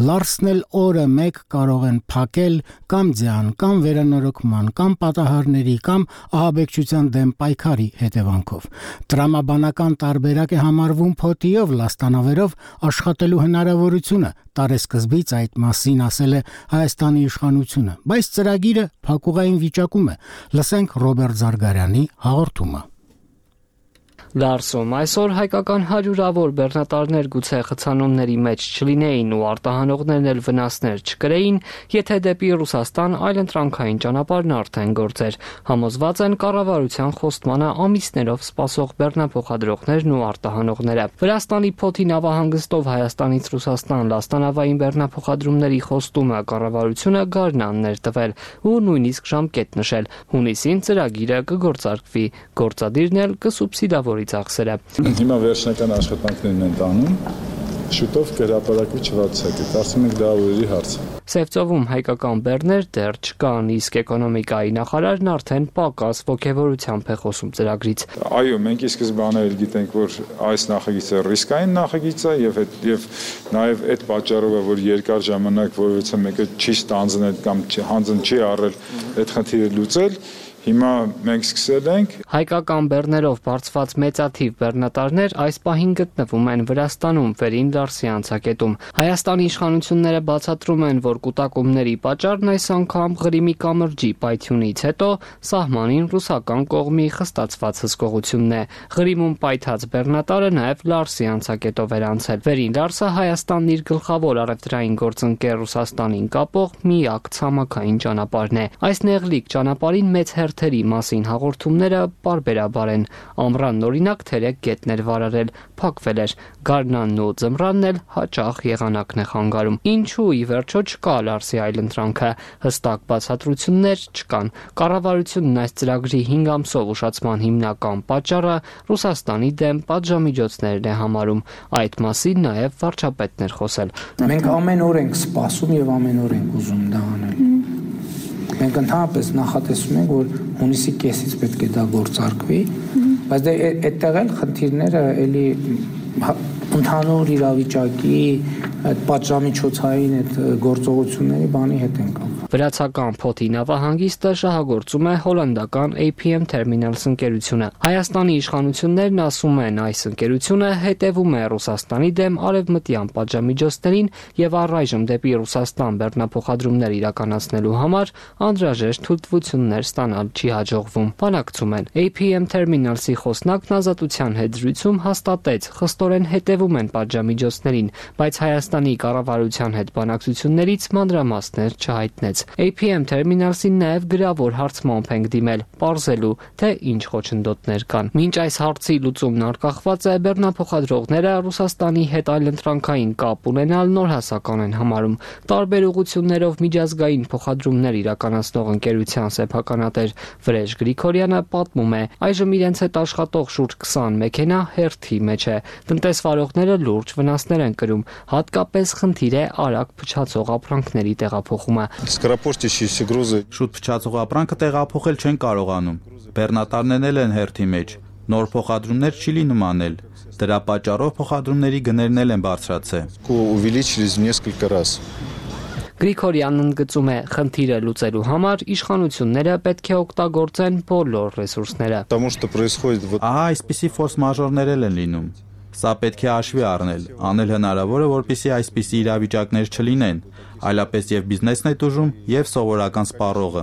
լարսնել օրը մեկ կարող են փակել կամ ձյան, կամ վերանորոգման, կամ պատահարների, կամ ահաբեկչության դեմ պայքարի հետևանքով։ Տրամաբանական տարբերակ է համարվում փոթիով լաստանավերով աշխատելու հնարավորությունը, տարեսկզբից այդ մասին ասել է Հայաստանի իշխանությունը, բայց ծրագիրը փակուղային վիճակում է։ Լսենք Ռոբերտ Զարգարյանի հաղորդումը։ Լարսում այսօր հայկական հարյուրավոր բեռնատարներ գուցե խցանումների մեջ չլինեին ու արտահանողներն էլ վնասներ չկրեին, եթե դեպի Ռուսաստան այլընտրանքային ճանապարհն արդեն գործեր։ Համոզված են կառավարության խոստմանը ամիսներով սպասող բեռնափոխադրողներն ու արտահանողները։ Վրաստանի Փոթի նավահանգստով Հայաստանից Ռուսաստան լաստանավային բեռնափոխադրումների խոստումը կառավարությունը գարնանն էր տվել ու նույնիսկ ժամկետ նշել։ Հունիսին ծրագիրը կգործարկվի, գործադիրն էլ կսուբսիդավորի ծախսերը։ Հիմա վերջնական աշխատանքներն են տանում, շուտով կհրապարակվի չվարձակը, կարծում ենք դա օրերի հարց է։ Սևծովում հայկական բեռներ դեռ չկան, իսկ էկոնոմիկայի նախարարն արդեն պակաս ոգևորությամբ է խոսում ծրագրից։ Այո, մենք ի սկզբանե էլ գիտենք, որ այս նախագիծը ռիսկային նախագիծ է եւ նաեւ այդ պատճառով է, որ երկար ժամանակ որևէ մեկը չի ստանձնել կամ հանձն չի առել այդ խնդիրը լուծել։ Հիմա մենք սկսել ենք հայկական բեռներով բարձված մեծաթիվ բեռնատարներ այս պահին գտնվում են Վրաստանում վերին Լարսի անցակետում։ Հայաստանի իշխանությունները բացատրում են, որ կուտակումների պատճառն այս անգամ Ղրիմի կամրջի պայթյունից հետո սահմանին ռուսական կողմի խստացված հսկողությունն է։ Ղրիմում պայթած բեռնատարը նաև Լարսի անցակետով էր անցել։ Վերին Լարսը Հայաստանն իր գլխավոր առևտրային գործընկեր Ռուսաստանին կապող միակ ցամաքային ճանապարհն է։ Այս նեղլիկ ճանապարհին մեծ հերթերի մասին հաղորդումները պարբերաբար են։ Ամռանն օրինակ 3 գետներ վարարել, փակվել էր։ Գարնանն ու ձմռանն էլ հաճախ եղանակն է խանգարում։ Ինչու ի վերջո չկա Լարսի այլընտրանքը, հստակ բացատրություններ չկան։ Կառավարությունն այս ծրագրի 5 ամսով ուշացման հիմնական պատճառը Ռուսաստանի դեմ պատժամիջոցներն է համարում։ Այդ մասին նաև վարչապետն էր խոսել։ Մենք ամեն օր ենք սպասում եւ ամեն օր ենք ուզում դա անել։ Մենք ընդհանրապես նախատեսում ենք, որ հունիսի կեսից պետք է դա գործարկվի, բայց դա այդտեղ էլ խնդիրները էլի ընդհանուր իրավիճակի այդ պատժամիջոցային այդ գործողությունների բանի հետ են կապ։ Վրացական Փոթի նավահանգիստը շահագործում է հոլանդական APM Terminals ընկերությունը։ Հայաստանի իշխանություններն ասում են, այս ընկերությունը հետևում է Ռուսաստանի դեմ արևմտյան պատժամիջոցներին եւ առայժմ դեպի Ռուսաստան բեռնափոխադրումներ իրականացնելու համար անհրաժեշտ թույլտվություններ ստանալ չի հաջողվում։ Բանակցում են APM Terminals-ի խոսնակն ազատության հետ զրույցում հաստատեց, խստորեն հետևում են պատժամիջոցներին, բայց Հայաստանի կառավարության հետ բանակցություններից մանրամասներ չհայտնեց։ APM Terminals-ին նաև գրավոր հարցմամբ ենք դիմել, պարզելու, թե ինչ խոչընդոտներ կան։ Մինչ այս հարցի լուծումն արկախված է, բեռնափոխադրողները Ռուսաստանի հետ այլընտրանքային կապ ունենալ նոր հասական են համարում։ Տարբեր ուղղություններով միջազգային փոխադրումներ իրականացնող ընկերության սեփականատեր Վրեժ Գրիգորյանը պատմում է, այժմ իրենց հետ աշխատող շուրջ 20 մեքենա հերթի մեջ է։ Տնտեսվարողները լուրջ վնասներ են կրում, հատկապես խնդիր է արագ փչացող ապրանքների տեղափոխումը։ Շուտ փչացող ապրանքը տեղափոխել չեն կարողանում։ Բեռնատարներն են հերթի մեջ։ Նոր փոխադրումներ չի լինում անել։ Դրա պատճառով փոխադրումների գներն են բարձրացել։ Գրիգորյանն ընդգծում է, խնդիրը լուծելու համար իշխանությունները պետք է օգտագործեն բոլոր ռեսուրսները։ Ահա այսպիսի ֆորս մաժորներ են լինում։ Սա պետք է հաշվի առնել, անել հնարավորը, որպեսզի այսպիսի իրավիճակներ չլինեն, այլապես եւ բիզնեսն է տուժում, եւ սովորական սպառողը։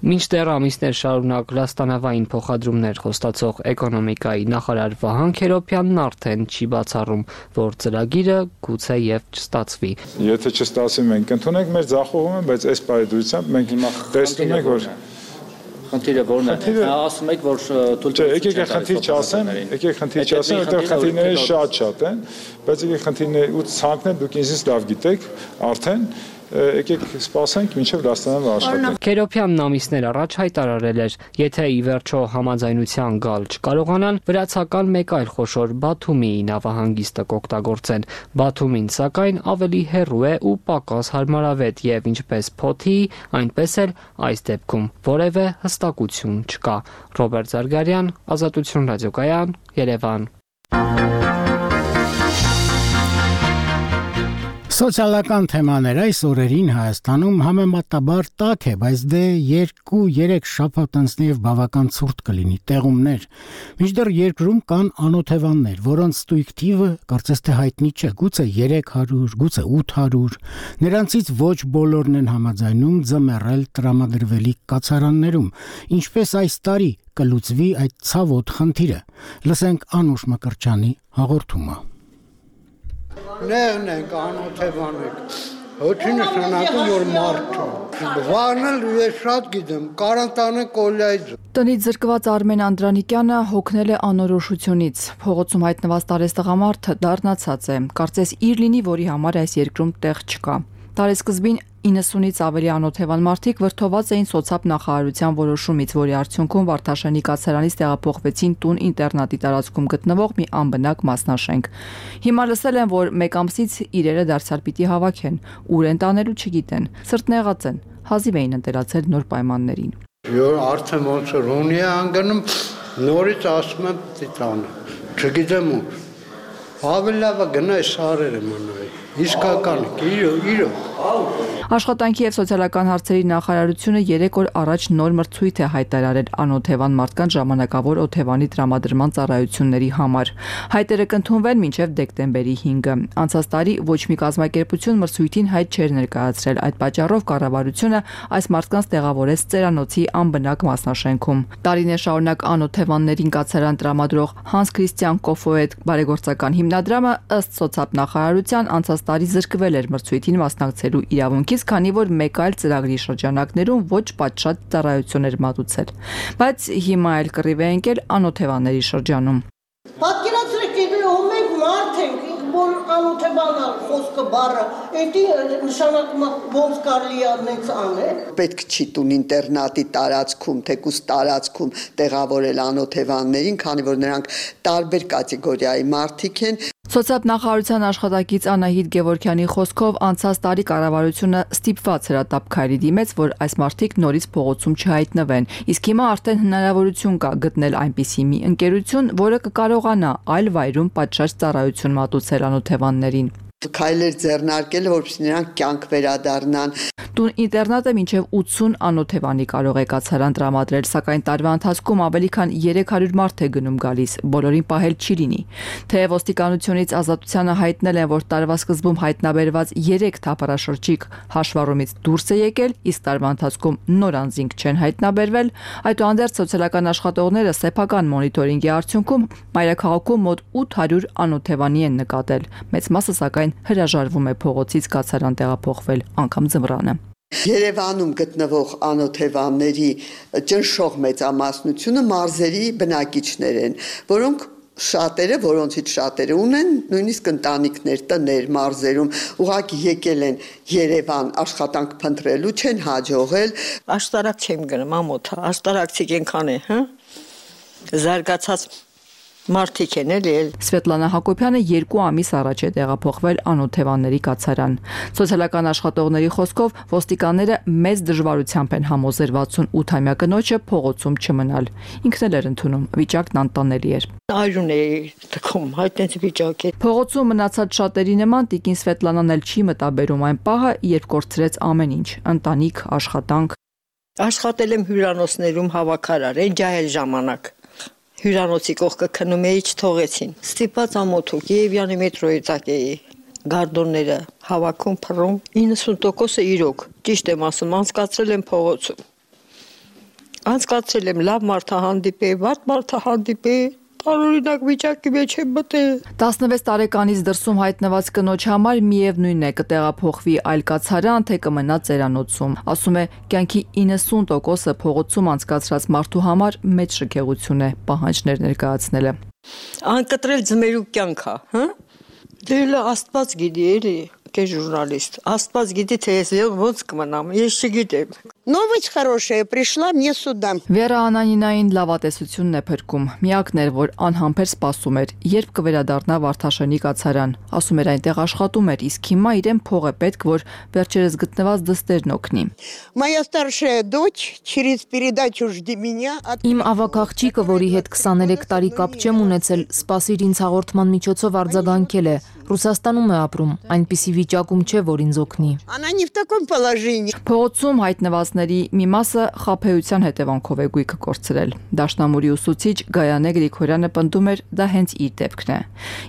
Մինչդեռ ամիսներ շարունակ լաստանավային փոխադրումներ խոստացող էկոնոմիկայի նախարար Վահան Քերոբյանն արդեն չի բացառում, որ ծրագիրը գուցե եւ չստացվի։ Եթե չստացի, մենք ընդունենք մեր ձախողումը, բայց այս պայմանությամբ մենք հիմա տեսնում ենք, որ խնդիրը որն է։ Ասում եք, որ եկեք խնդիր չասեմ, որտեղ խնդիրները շատ են, բայց եկեք խնդիրները ու ցանկները դուք ինձ լավ գիտեք, արդեն եկեք սպասենք մինչև դաստանան աշխատել։ Քերոփյանն ամիսներ առաջ հայտարարել էր, եթե ի վերջո համաձայնության գալ չկարողանան, վրացական մեկ այլ խոշոր Բաթումիի նավահանգիստը կօգտագործեն։ Բաթումին սակայն ավելի հեռու է ու պակաս հարմարավետ եւ ինչպես Փոթի, այնպես էլ այս դեպքում որևէ հստակություն չկա։ Ռոբերտ Զարգարյան, Ազատություն ռադիոկայան, Երևան։ Սոցիալական թեմաներ այս օրերին Հայաստանում համեմատաբար տաք է, բայց դե 2-3 շաբաթ անցնի եւ բավական ցուրտ կլինի տեղումներ։ Մինչդեռ երկրում կան անօթևաններ, որոնց ստույգ թիվը կարծես թե հայտնի չէ, գուցե 300, գուցե 800։ Նրանցից ոչ բոլորն են համաձայնում ձմեռել տրամադրվելիք կացարաններում, ինչպես այս տարի կլուծվի այդ ցավոտ խնդիրը։ Լսենք Անուշ Մկրտչյանի հաղորդումը։ Նեղն ենք, անօթևան ենք, հոչի նշանակում, որ մարդ վարնել ես շատ գիտեմ, կարանտանը կոլյայց։ Տնից զրկված Արմեն Անդրանիկյանը հոգնել է անորոշությունից, փողոցում հայտնված տարեստղամարդը դառնացած է, կարծես իր լինի, որի համար այս երկրում տեղ չկա։ Տարեսկզբին 90-ից ավելի անօթևան մարդիկ վրդոված էին սոցապ նախարարության որոշումից, որի արդյունքում Վարդաշենի կացարանից տեղափոխվեցին տուն ինտերնատի տարածքում գտնվող մի անբնակ մասնաշենք։ Հիմա լսել են, որ մեկ ամսից իրերը դարձյալ պիտի հավաքեն, ուր են տանելու չգիտեն, սրտնեղած են, հազիվ էին ընտելացել նոր պայմաններին։ Յոր արդեն ոնց որ ունի անգնում, նորից ասում եմ տիտանը, չգիտեմ ուր։ Ավելի լավ է գնա սարերը մնայի, իսկական իրո։ Աշխատանքի եւ սոցիալական հարցերի նախարարությունը 3 օր առաջ նոր մրցույթ է հայտարարել անօթևան մարդկանց ժամանակավոր օթևանի տրամադրման ծառայությունների համար։ Հայտերը կընդունվեն մինչև դեկտեմբերի 5-ը։ Անցած տարի ոչ մի կազմակերպություն մրցույթին հայտ չէր ներկայացրել, այդ պատճառով կառավարությունը այս մարդկանց տեղավորեց Ծերանոցի անբնակ մասնաշենքում։ Տարիներ շարունակ անօթևաններին կացարան տրամադրող Հանս Քրիստիան Կոֆոետ բարեգործական հիմնադրամը ըստ սոցապ նախարարության անցած տարի զրկվել էր մրցույթին մասնակցելու իրավունքից, քանի որ մեկ այլ ծրագրի շրջանակներում ոչ պատշաճ ծառայություն էր մատուցել, բայց հիմա էլ կռիվ է ընկել անօթևանների շրջանում։ Պատկերացրեք, ով մենք մարդ ենք, որ անօթևանալ խոսքը բառը, դա նշանակում է ոնց կարելի է նենց անել։ Պետք չի տուն ինտերնատի տարածքում, թեկուզ տարածքում տեղավորել անօթևաններին, քանի որ նրանք տարբեր կատեգորիայի մարդիկ են։ Սոցիալ նախարարության աշխատակից Անահիտ Գևորգյանի խոսքով անցած տարի կառավարությունը ստիպված հրատապ քայլի դիմեց, որ այս մարդիկ նորից փողոցում չհայտնվեն, իսկ հիմա արդեն հնարավորություն կա գտնել այնպիսի մի ընկերություն, որը կկարողանա այլ վայրում պատշաճ ծառայություն մատուցել անօթևաններին։ Քայլեր ձեռնարկել, որպեսզի նրանք կյանք վերադառնան։ Տուն ինտերնատը մինչև 80 անօթևանի կարող է կացարան տրամադրել, սակայն տարվա ընթացքում ավելի քան 300 մարդ է գնում գալիս, բոլորին պահել չի լինի։ Թեև ոստիկանությունից Ազատությանը հայտնել են, որ տարվա սկզբում հայտնաբերված 3 թափառաշրջիկ հաշվառումից դուրս է եկել, իսկ տարվա ընթացքում նոր անձինք չեն հայտնաբերվել, այդուհանդերձ սոցիալական աշխատողները սեփական մոնիտորինգի արդյունքում մայրաքաղաքում մոտ 800 անօթևանի են նկատել։ Մեծ մասը սակայն հրաժարվում է փողոցից կացարան տեղափոխվել, անգամ ձմռանը։ Երևանում գտնվող անօթևանների ճնշող մեծամասնությունը մարզերի բնակիչներ են, որոնցից շատերը ունեն նույնիսկ ընտանիքներ, տներ մարզերում, ուղղակի եկել են Երևան աշխատանք փնտրելու, չեն հաջողել։ Աշտարակ չեմ գնում, ամոթա, աշտարակցիկ ենքան է, զարգացած մարդիկ են էլի։ Սվետլանա Հակոբյանը 2 ամիս առաջ է տեղափոխվել անօթևանների կացարան։ Սոցիալական աշխատողների խոսքով ոստիկանները մեծ դժվարությամբ են համոզել 68-ամյա կնոջը փողոցում չմնալ։ Ինքն էլ էր ընդունում, վիճակն անտանելի էր։ Այրուն է թքում, հայտնեց վիճակ է։ Փողոցում մնացած շատերի նման տիկին Սվետլանան էլ չի մտաբերում այն պահը, երբ կորցրեց ամեն ինչ՝ ընտանիք, աշխատանք։ Աշխատել եմ հյուրանոցներում հավաքարար, այն ջահել ժամանակ։ Հյուրանոցի կողքը քնում էի, չթողեցին։ Ստիպած ամոթու Կիևյանի մետրոյի տակ էի, գարդոնները հավաքում, փռում, 90%-ը իրոք, ճիշտ եմ ասում, անցկացրել եմ փողոցում։ Անցկացրել եմ լավ մարդահանդիպ է, վատ մարդահանդիպ է, տարօրինակ վիճակի մեջ եմ մտել։ 16 տարեկանից դրսում հայտնված կնոջ համար միևնույն է կտեղափոխվի այլ կացարան, թե կմնա Ծերանոցում։ Ասում է, կյանքի 90%-ը փողոցում անցկացրած մարդու համար մեծ շքեղություն է պահանջներ ներկայացնելը։ Անկտրել ձմերուկ կյանք է, Դե Աստված գիտի էլի, ովքեր ժուրնալիստ։ Աստված գիտի, թե ես ոնց կմնամ, ես չգիտեմ։ Новость хорошая пришла мне сюда. Վերա Անանինային լավատեսությունն է փրկում։ Միակն էր, որ անհամբեր սպասում էր, երբ կվերադառնա Վարդաշենի կացարան։ Ասում էր այնտեղ աշխատում էր, իսկ հիմա իրեն փող է պետք, որ վերջերս գտնված դստերն օգնի։ Моя старшая дочь через передачу «Жди меня» Իմ ավագ աղջիկը, որի հետ 23 տարի կապ չեմ ունեցել, սպասիր ինձ հաղորդման միջոցով արձագանքել է։ Ռուսաստանում է ապրում, այնպիսի վիճակում չէ, որ ինձ օգնի։ Она не в таком положении. Փողոցում հայտնվածների մի մասը խաբեության հետևանքով է գույքը կորցրել։ Դաշնամուրի ուսուցիչ Գայանե Գրիգորյանը պնդում էր, դա հենց իր դեպքն է։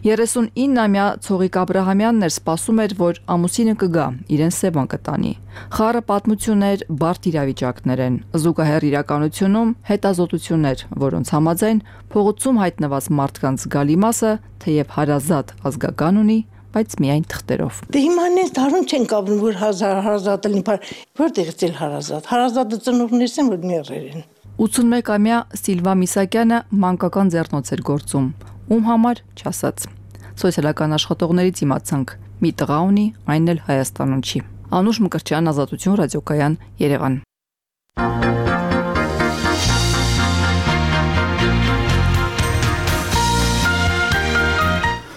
39-ամյա Ցողիկ Աբրահամյանն էր սպասում էր, որ ամուսինը կգա, իրեն Սևան կտանի։ Խառը պատմություններ, բարդ իրավիճակներ են, զուգահեռ իրականությունում հետազոտություններ, որոնց համաձայն փողոցում հայտնված մարդկանց զգալի մասը, թեև հարազատ ազգական ունի, բայց միայն թղթերով։ Դե հիմա նենց դառնում չեն կապնում, որ հարազատ լինի, որտեղից էլ հարազատ։ Հարազատը ծնողներս են, որ մեռել են։ 81-ամյա Սիլվա Միսակյանը մանկական ձեռնոց էր գործում, ում համար չասած։ Սոցիալական աշխատողներից իմացանք, մի տղա ունի, այն էլ Հայաստանում չի։ Անուշ Մկրտչյան, Ազատություն, ռադիոկայան, Երևան։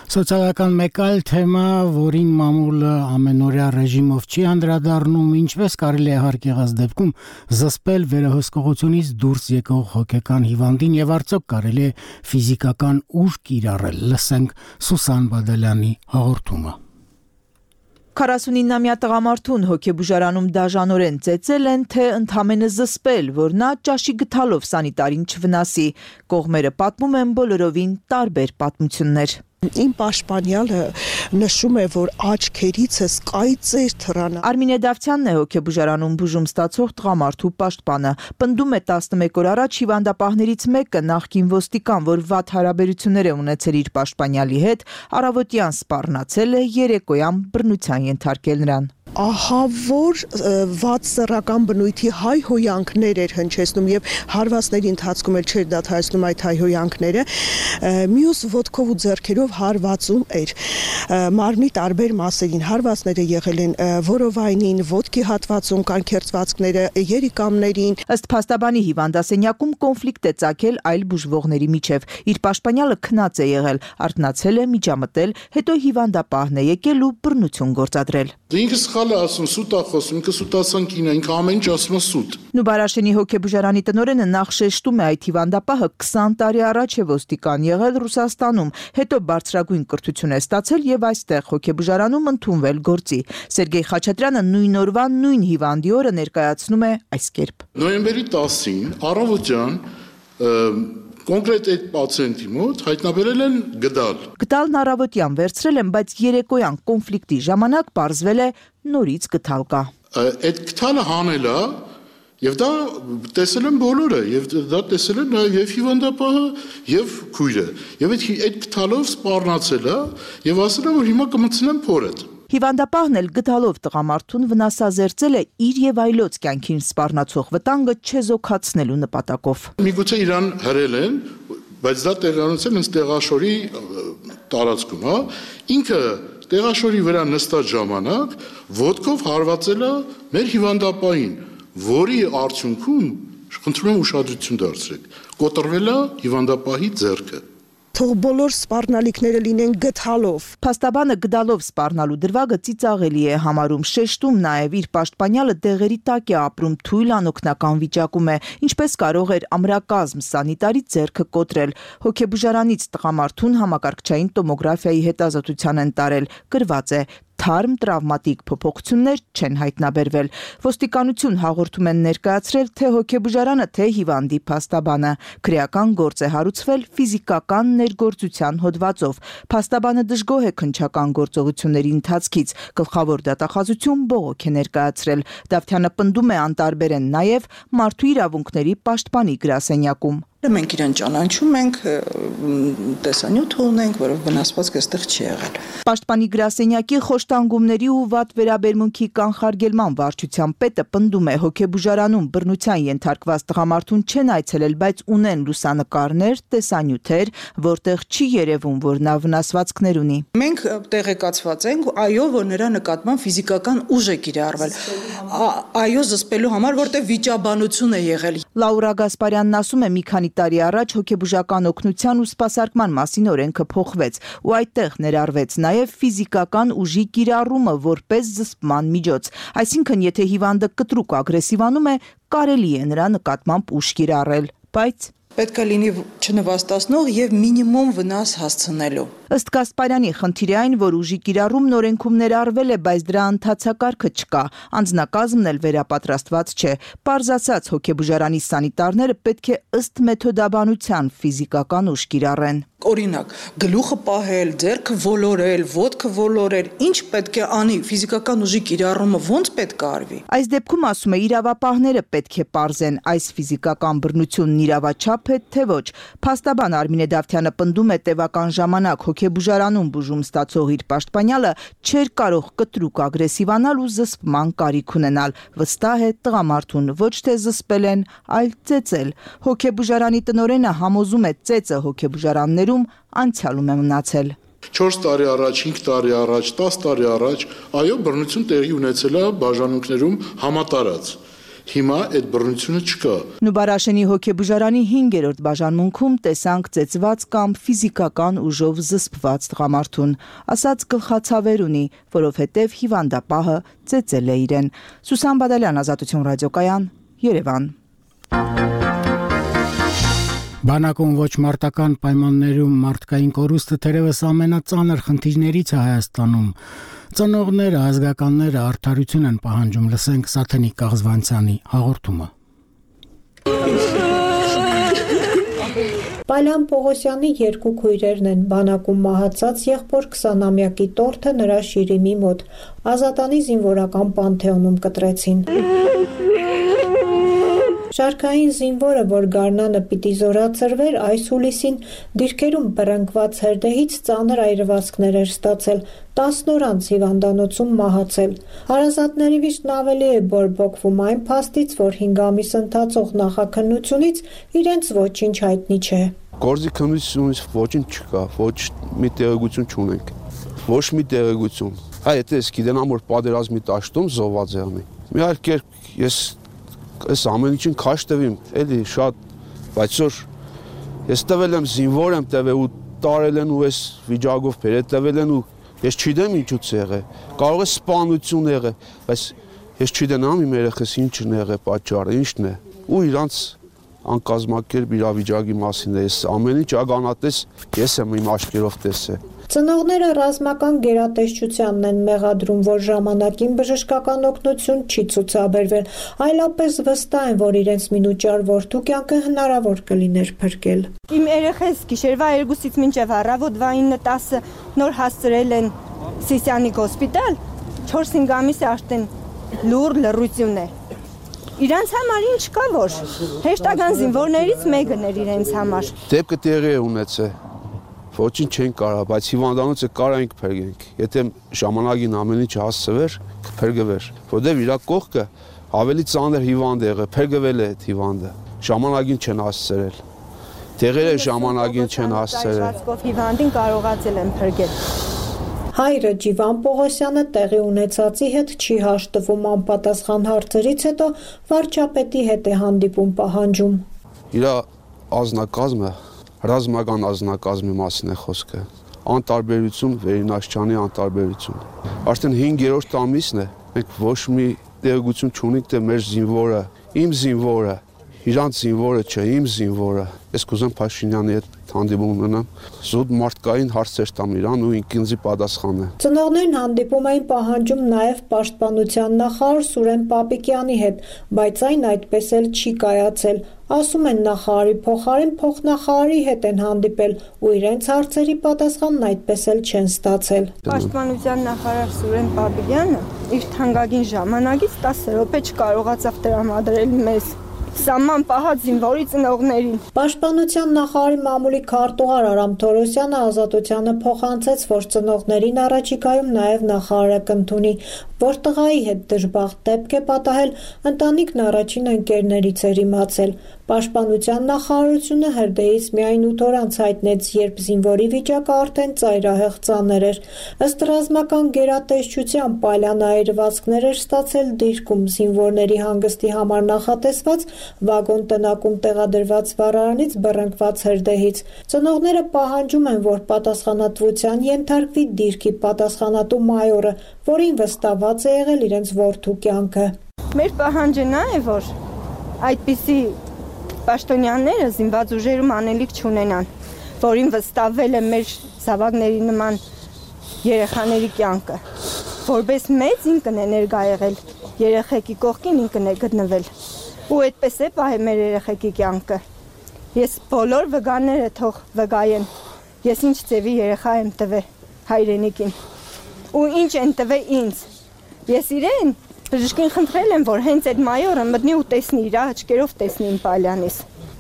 Սոցիալական մեկ այլ թեմա, որին մամուլը ամենօրյա ռեժիմով չի անդրադառնում, ինչպես կարելի է հարկ եղած դեպքում զսպել վերահսկողությունից դուրս եկող հոգեկան հիվանդին եւ արդյոք կարելի է ֆիզիկական ուժ կիրառել։ Լսենք Սուսան Բադալյանի հաղորդումը։ 49-ամյա տղամարդուն հոգեբուժարանում դաժանորեն ծեծել են, թե ընդամենը զսպել, որ նա ճաշի գթալով սանիտարին չվնասի։ Կողմերը պատմում են բոլորովին տարբեր պատմություններ։ Իմ պաշտպանյալը նշում է, որ աչքերիցս կայծեր թռան։ Արմինե Դավթյանն է հոգեբուժարանում բուժում ստացող տղամարդու պաշտպանը։ Պնդում է 11 օր առաջ հիվանդապահներից մեկը նախկին ոստիկան, որ վատ հարաբերություններ է ունեցել իր պաշտպանյալի հետ, առավոտյան սպառնացել է, երեկոյան բռնության ենթարկել նրան։ Ահա որ վատ սեռական բնույթի հայհոյանքներ էր հնչեցնում եւ հարվածների ընթացքում էլ չէր դադարեցնում այդ հայհոյանքները, մյուս ոտքով ու ձեռքերով հարվածում էր մարմնի տարբեր մասերին, հարվածները եղել են որովայնին, ոտքի հատվածում, կանքերծվածքները, երիկամներին։ Ըստ փաստաբանի հիվանդասենյակում կոնֆլիկտ է ծագել այլ բուժվողների միջև։ Իր պաշտպանյալը քնած է եղել, արթնացել է, միջամտել, հետո հիվանդապահն է եկել ու բռնություն գործադրել։ Ինքս խալը ասում, սուտ է խոսում, ինքը սուտասան կինա, ինքը ամեն ինչ ասում է սուտ։ Նուբարաշենի հոգեբուժարանի տնօրենը նախ շեշտում է այդ հիվանդապահը 20 տարի առաջ է ոստիկան եղել Ռուսաստանում, հետո բարձրագույն կրթություն է ստացել եւ այստեղ հոգեբուժարանում ընդունվել գործի։ Սերգեյ Խաչատրյանը նույն օրվա նույն հիվանդի օրը ներկայացնում է այս կերպ։ Նոյեմբերի 10-ին առավոտյան կոնկրետ այդ պացիենտի մոտ հայտնաբերել են գդալ։ Գդալն առավոտյան վերցրել են, բայց երեկոյան կոնֆլիկտի ժամանակ պարզվել է նորից գդալ կա։ Այդ գդալը հանել է եւ դա տեսել են բոլորը եւ դա տեսել են նաեւ եւ հիվանդապահը եւ քույրը։ Եվ այդ գդալով սպառնացել է եւ ասել է, որ հիմա կմցնեմ փորդ։ Հիվանդապահն էլ գդալով տղամարդուն վնասազերծել է իր եւ այլոց կյանքին սպառնացող վտանգը չեզոքացնելու նպատակով։ Միգուցե իրան հրել են, բայց դա տեղանոցել հենց տեղաշորի տարածքում, հա։ Ինքը տեղաշորի վրա նստած ժամանակ ոտքով հարվածել է մեր հիվանդապահին, որի արդյունքում խնդրում եմ ուշադրություն դարձրեք, կոտրվել է հիվանդապահի ձեռքը։ Թող բոլոր սպառնալիքները լինեն գդալով։ Փաստաբանը գդալով սպառնալու դրվագը ծիծաղելի է համարում, շեշտում նաև իր պաշտպանյալը դեղերի տակ է ապրում, թույլ անօգնական վիճակում է, ինչպես կարող էր ամրակազմ սանիտարի ձեռքը կոտրել։ Հոգեբուժարանից տղամարդուն համակարգչային տոմոգրաֆիայի հետազոտության են տարել, գրված է թարմ տրավմատիկ փոփոխություններ չեն հայտնաբերվել։ Ոստիկանություն հաղորդում են ներկայացրել թե հոգեբուժարանը, թե հիվանդի փաստաբանը։ Քրեական գործ է հարուցվել ֆիզիկական ներգործության հոդվածով։ Փաստաբանը դժգոհ է քննչական գործողությունների ընթացքից։ Գլխավոր դատախազություն բողոք է ներկայացրել։ Դավթյանը պնդում է անտարբեր են նաև մարդու իրավունքների պաշտպանի գրասենյակում։ Մենք իրեն ճանաչում ենք, տեսանյութ ունենք, որով վնասվածքը այստեղ չի եղել։ Պաշտպանի գրասենյակի խոշտանգումների ու վատ վերաբերմունքի կանխարգելման վարչության պետը պնդում է հոգեբուժարանում բռնության ենթարկված տղամարդուն չեն այցելել, բայց ունեն լուսանկարներ, տեսանյութեր, որտեղ չի երևում, որ նա վնասվածքներ ունի։ Մենք տեղեկացված ենք, այո, որ նրա նկատմամբ ֆիզիկական ուժ է կիրառվել։ Այո, զսպելու համար, որտեղ վիճաբանություն է եղել։ Լաուրա Գասպարյանն ասում է, մի քանի տարի առաջ հոգեբուժական օգնության ու սպասարկման մասին օրենքը փոխվեց ու այդտեղ ներառվեց նաև ֆիզիկական ուժի կիրառումը որպես զսպման միջոց։ Այսինքն, եթե հիվանդը կտրուկ ագրեսիվանում է, կարելի է նրա նկատմամբ ուժ կիրառել, բայց պետք է լինի չնվաստացնող եւ մինիմում վնաս հասցնելու։ Ըստ Գասպարյանի, խնդիրը այն, որ ուժի կիրառումն օրենքում ներառվել է, բայց դրա ընթացակարգը չկա, անձնակազմն էլ վերապատրաստված չէ։ Պարզ ասած, հոգեբուժարանի սանիտարները պետք է ըստ մեթոդաբանության ֆիզիկական ուժ կիրառեն։ Օրինակ, գլուխը պահել, ձեռքը ոլորել, ոտքը ոլորել, ինչ պետք է անի, ֆիզիկական ուժի կիրառումը ոնց պետք է արվի։ Այս դեպքում ասում է, իրավապահները պետք է պարզեն այս ֆիզիկական բռնությունն իրավաչափ է, թե ոչ։ Փաստաբան Արմինե Դավթյանը պնդում է, տևական ժամանակ հոգեբուժարանում բուժում ստացող իր պաշտպանյալը չէր կարող կտրուկ ագրեսիվանալ ու զսպման կարիք ունենալ։ Վստահ է, տղամարդուն ոչ թե զսպել են, այլ ծեծել։ Հոգեբուժարանի տնօրենը համոզում է, ծեծը հոգեբուժարաններում անցյալում է մնացել։ 4 տարի առաջ, 5 տարի առաջ, 10 տարի առաջ, այո, բռնություն տեղի ունեցել է բաժանմունքներում համատարած։ Հիմա այդ բռնությունը չկա։ Նուբարաշենի հոգեբուժարանի 5-րդ բաժանմունքում տեսանք ծեծված կամ ֆիզիկական ուժով զսպված տղամարդուն, ասաց գլխացավեր ունի, որովհետև հիվանդապահը ծեծել է իրեն։ Սուսան Բադալյան, Ազատություն ռադիոկայան, Երևան։ Բանակում ոչ մարտական պայմաններում մարդկային կորուստը թերևս ամենածանր խնդիրներից է Հայաստանում։ Ծնողները, ազգականները արդարություն են պահանջում, լսենք Սաթենիկ Կաղզվանցյանի հաղորդումը։ Պալյան Պողոսյանի երկու քույրերն են, բանակում մահացած եղբոր 20-ամյակի տորթը նրա շիրիմի մոտ, Ազատանի զինվորական պանթեոնում կտրեցին։ Շարքային զինվորը, որ գարնանը պիտի զորացրվեր, այս հուլիսին դիրքերում բռնկված հրդեհից ծանր այրվածքներ էր ստացել, 10 օր անց հիվանդանոցում մահացել։ Հարազատների վիշտն ավելի է բորբոքվում այն փաստից, որ 5 ամիս ընթացող նախաքննությունից իրենց ոչինչ հայտնի չէ։ Գործի քննությունից ոչինչ չկա, ոչ մի տեղեկություն չունենք, ոչ մի տեղեկություն։ Եթե ես գիտենամ, որ պատերազմի դաշտում զոհված է անի, մի այլ կերպ ես այս ամեն ինչին քաշ տվիմ, էլի շատ, բայց որ ես տվել եմ զինվոր եմ տվել ու տարել են ու այս վիճակով բերել տվել են ու ես չգիտեմ ինչուց եղե, կարող է սպանություն եղե, բայց ես չգիտեմ իմ երեխես ինչն է եղե պատճառը, ինչն է ու իրանց անկազմակերպ իրավիճակի մասին է, ես ամեն ինչ ականատես ես եմ իմ աչքերով տեսել։ Ծնողները ռազմական գերատեսչությանն են մեղադրում, որ ժամանակին բժշկական օգնություն չի ցուցաբերվել, այլապես վստահ են, որ իրենց մինուճար որդու կյանքը հնարավոր կլիներ փրկել։ Իմ երեխես գիշերվա 2-ից մինչև առավոտվա 9-10 նոր հասցրել են Սիսյանիկ հոսպիտալ, 4-5 ամիս արդեն լուր լռություն է։ Իրանց համար ինչ կա որ հեշտական զինվորներից մեկն էր իրենց համար։ Դեպքը տեղի է ունեցել։ Ոչինչ չեն կարող, բայց հիվանդանոցը կարանք փրկենք։ Եթե ժամանակին ամեն ինչ հասցվեր, կփրկվեր։ Որտեւ իր կողքը ավելի ծանր հիվանդ է եղել, փրկվել է այդ հիվանդը։ Ժամանակին չեն հասցրել։ Տեղերը ժամանակին չեն հասցրել։ Հիվանդին կարողացել են փրկել։ Հայրը Ջիվան Պողոսյանը տեղի ունեցածի հետ չի հաշտվում, անպատասխան հարցերից հետո վարչապետի հետ է հանդիպում պահանջում։ Իր ազնագազմը ռազմական ազնագազմի մասին է խոսքը։ Անտարբերություն, Վերինաշչյանի անտարբերություն։ Արդեն 5-րդ ամիսն է, մենք ոչ մի տեղեկություն չունենք, թե մեր զինվորը, իմ զինվորը, իրանց զինվորը չէ, իմ զինվորը։ Ես կուզեմ Փաշինյանի հետ հանդիպում ունենամ, զուտ մարդկային հարցեր տամ իրան ու ինքնզի պատասխանը։ Ծնողներն հանդիպում էին պահանջում նաև պաշտպանության նախարար Սուրեն Պապիկյանի հետ, բայց այն այդպես էլ չի կայացել։ Ասում են նախարարի փոխարեն փոխնախարարի հետ են հանդիպել ու իրենց հարցերի պատասխանն այդպես էլ չեն ստացել։ Պաշտպանության նախարար Սուրեն Պապիկյանը իր թանկագին ժամանակից 10 րոպե չկարողացավ տրամադրել մեզ Սաման պահած զինվորի ծնողներին։ Պաշտպանության նախարարի մամուլի քարտուղար Արամ Թորոսյանը Ազատությանը փոխանցեց, որ ծնողներին առաջիկայում նաև նախարարը կընդունի, որ տղայի հետ դժբախտ դեպք է պատահել, ընտանիքն առաջին ընկերներից էր իմացել։ Պաշտպանության նախարարությունը հրդեհից միայն 8 օր անց հայտնեց, երբ զինվորի վիճակը արդեն ծայրահեղ ծանր էր։ Ըստ ռազմական գերատեսչության պալյան այրվածքներ էր ստացել դիրքում, զինվորների հանգստի համար նախատեսված վագոն տնակում տեղադրված վառարանից բռնկված հրդեհից։ Ծնողները պահանջում են, որ պատասխանատվության ենթարկվի դիրքի պատասխանատու մայորը, որին վստահված է եղել իրենց որդու կյանքը։ Մեր պահանջը նա է, որ այդպիսի պաշտոնյաները զինված ուժերում անելիք չունենան, որին վստահվել է մեր զավակների նման երեխաների կյանքը, որպես մեծ ինքն է ներկա եղել, երեխեքի կողքին ինքն է գտնվել, ու այդպես է պահել մեր երեխեքի կյանքը։ Ես բոլոր վգաները թող վգայեն, ես ինչ ձևի երեխա եմ տվել հայրենիքին, ու ինչ են տվել ինձ, ես իրեն բժշկին խնդրել եմ, որ հենց այդ մայորը մտնի ու տեսնի, իր աչքերով տեսնի իմ պալյանից։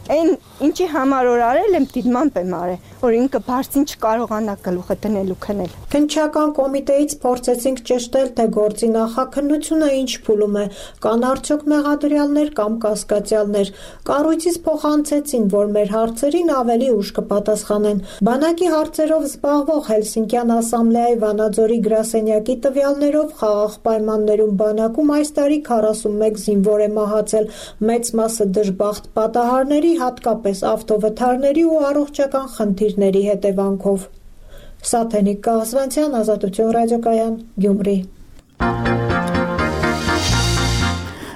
Այն ինչի համար որ արել եմ, դիտմամբ եմ արել, որ ինքը բարձին չկարողանա գլուխը դնել ու քնել։ Քննչական կոմիտեից փորձեցինք ճշտել, թե գործի նախաքննությունը ինչ փուլում է, կան արդյոք մեղադրյալներ կամ կասկածյալներ։ Կառույցից փոխանցեցին, որ մեր հարցերին ավելի ուշ կպատասխանեն։ Բանակի հարցերով զբաղվող Հելսինկյան ասամբլեայի Վանաձորի գրասենյակի տվյալներով խաղաղ պայմաններում բանակում այս տարի 41 զինվոր է մահացել, մեծ մասը դժբախտ պատահարների, հատկապես ավտովթարների ու առողջական խնդիրների հետևանքով։ Սաթենիկ Կաղզվանցյան, Ազատություն ռադիոկայան, Գյումրի։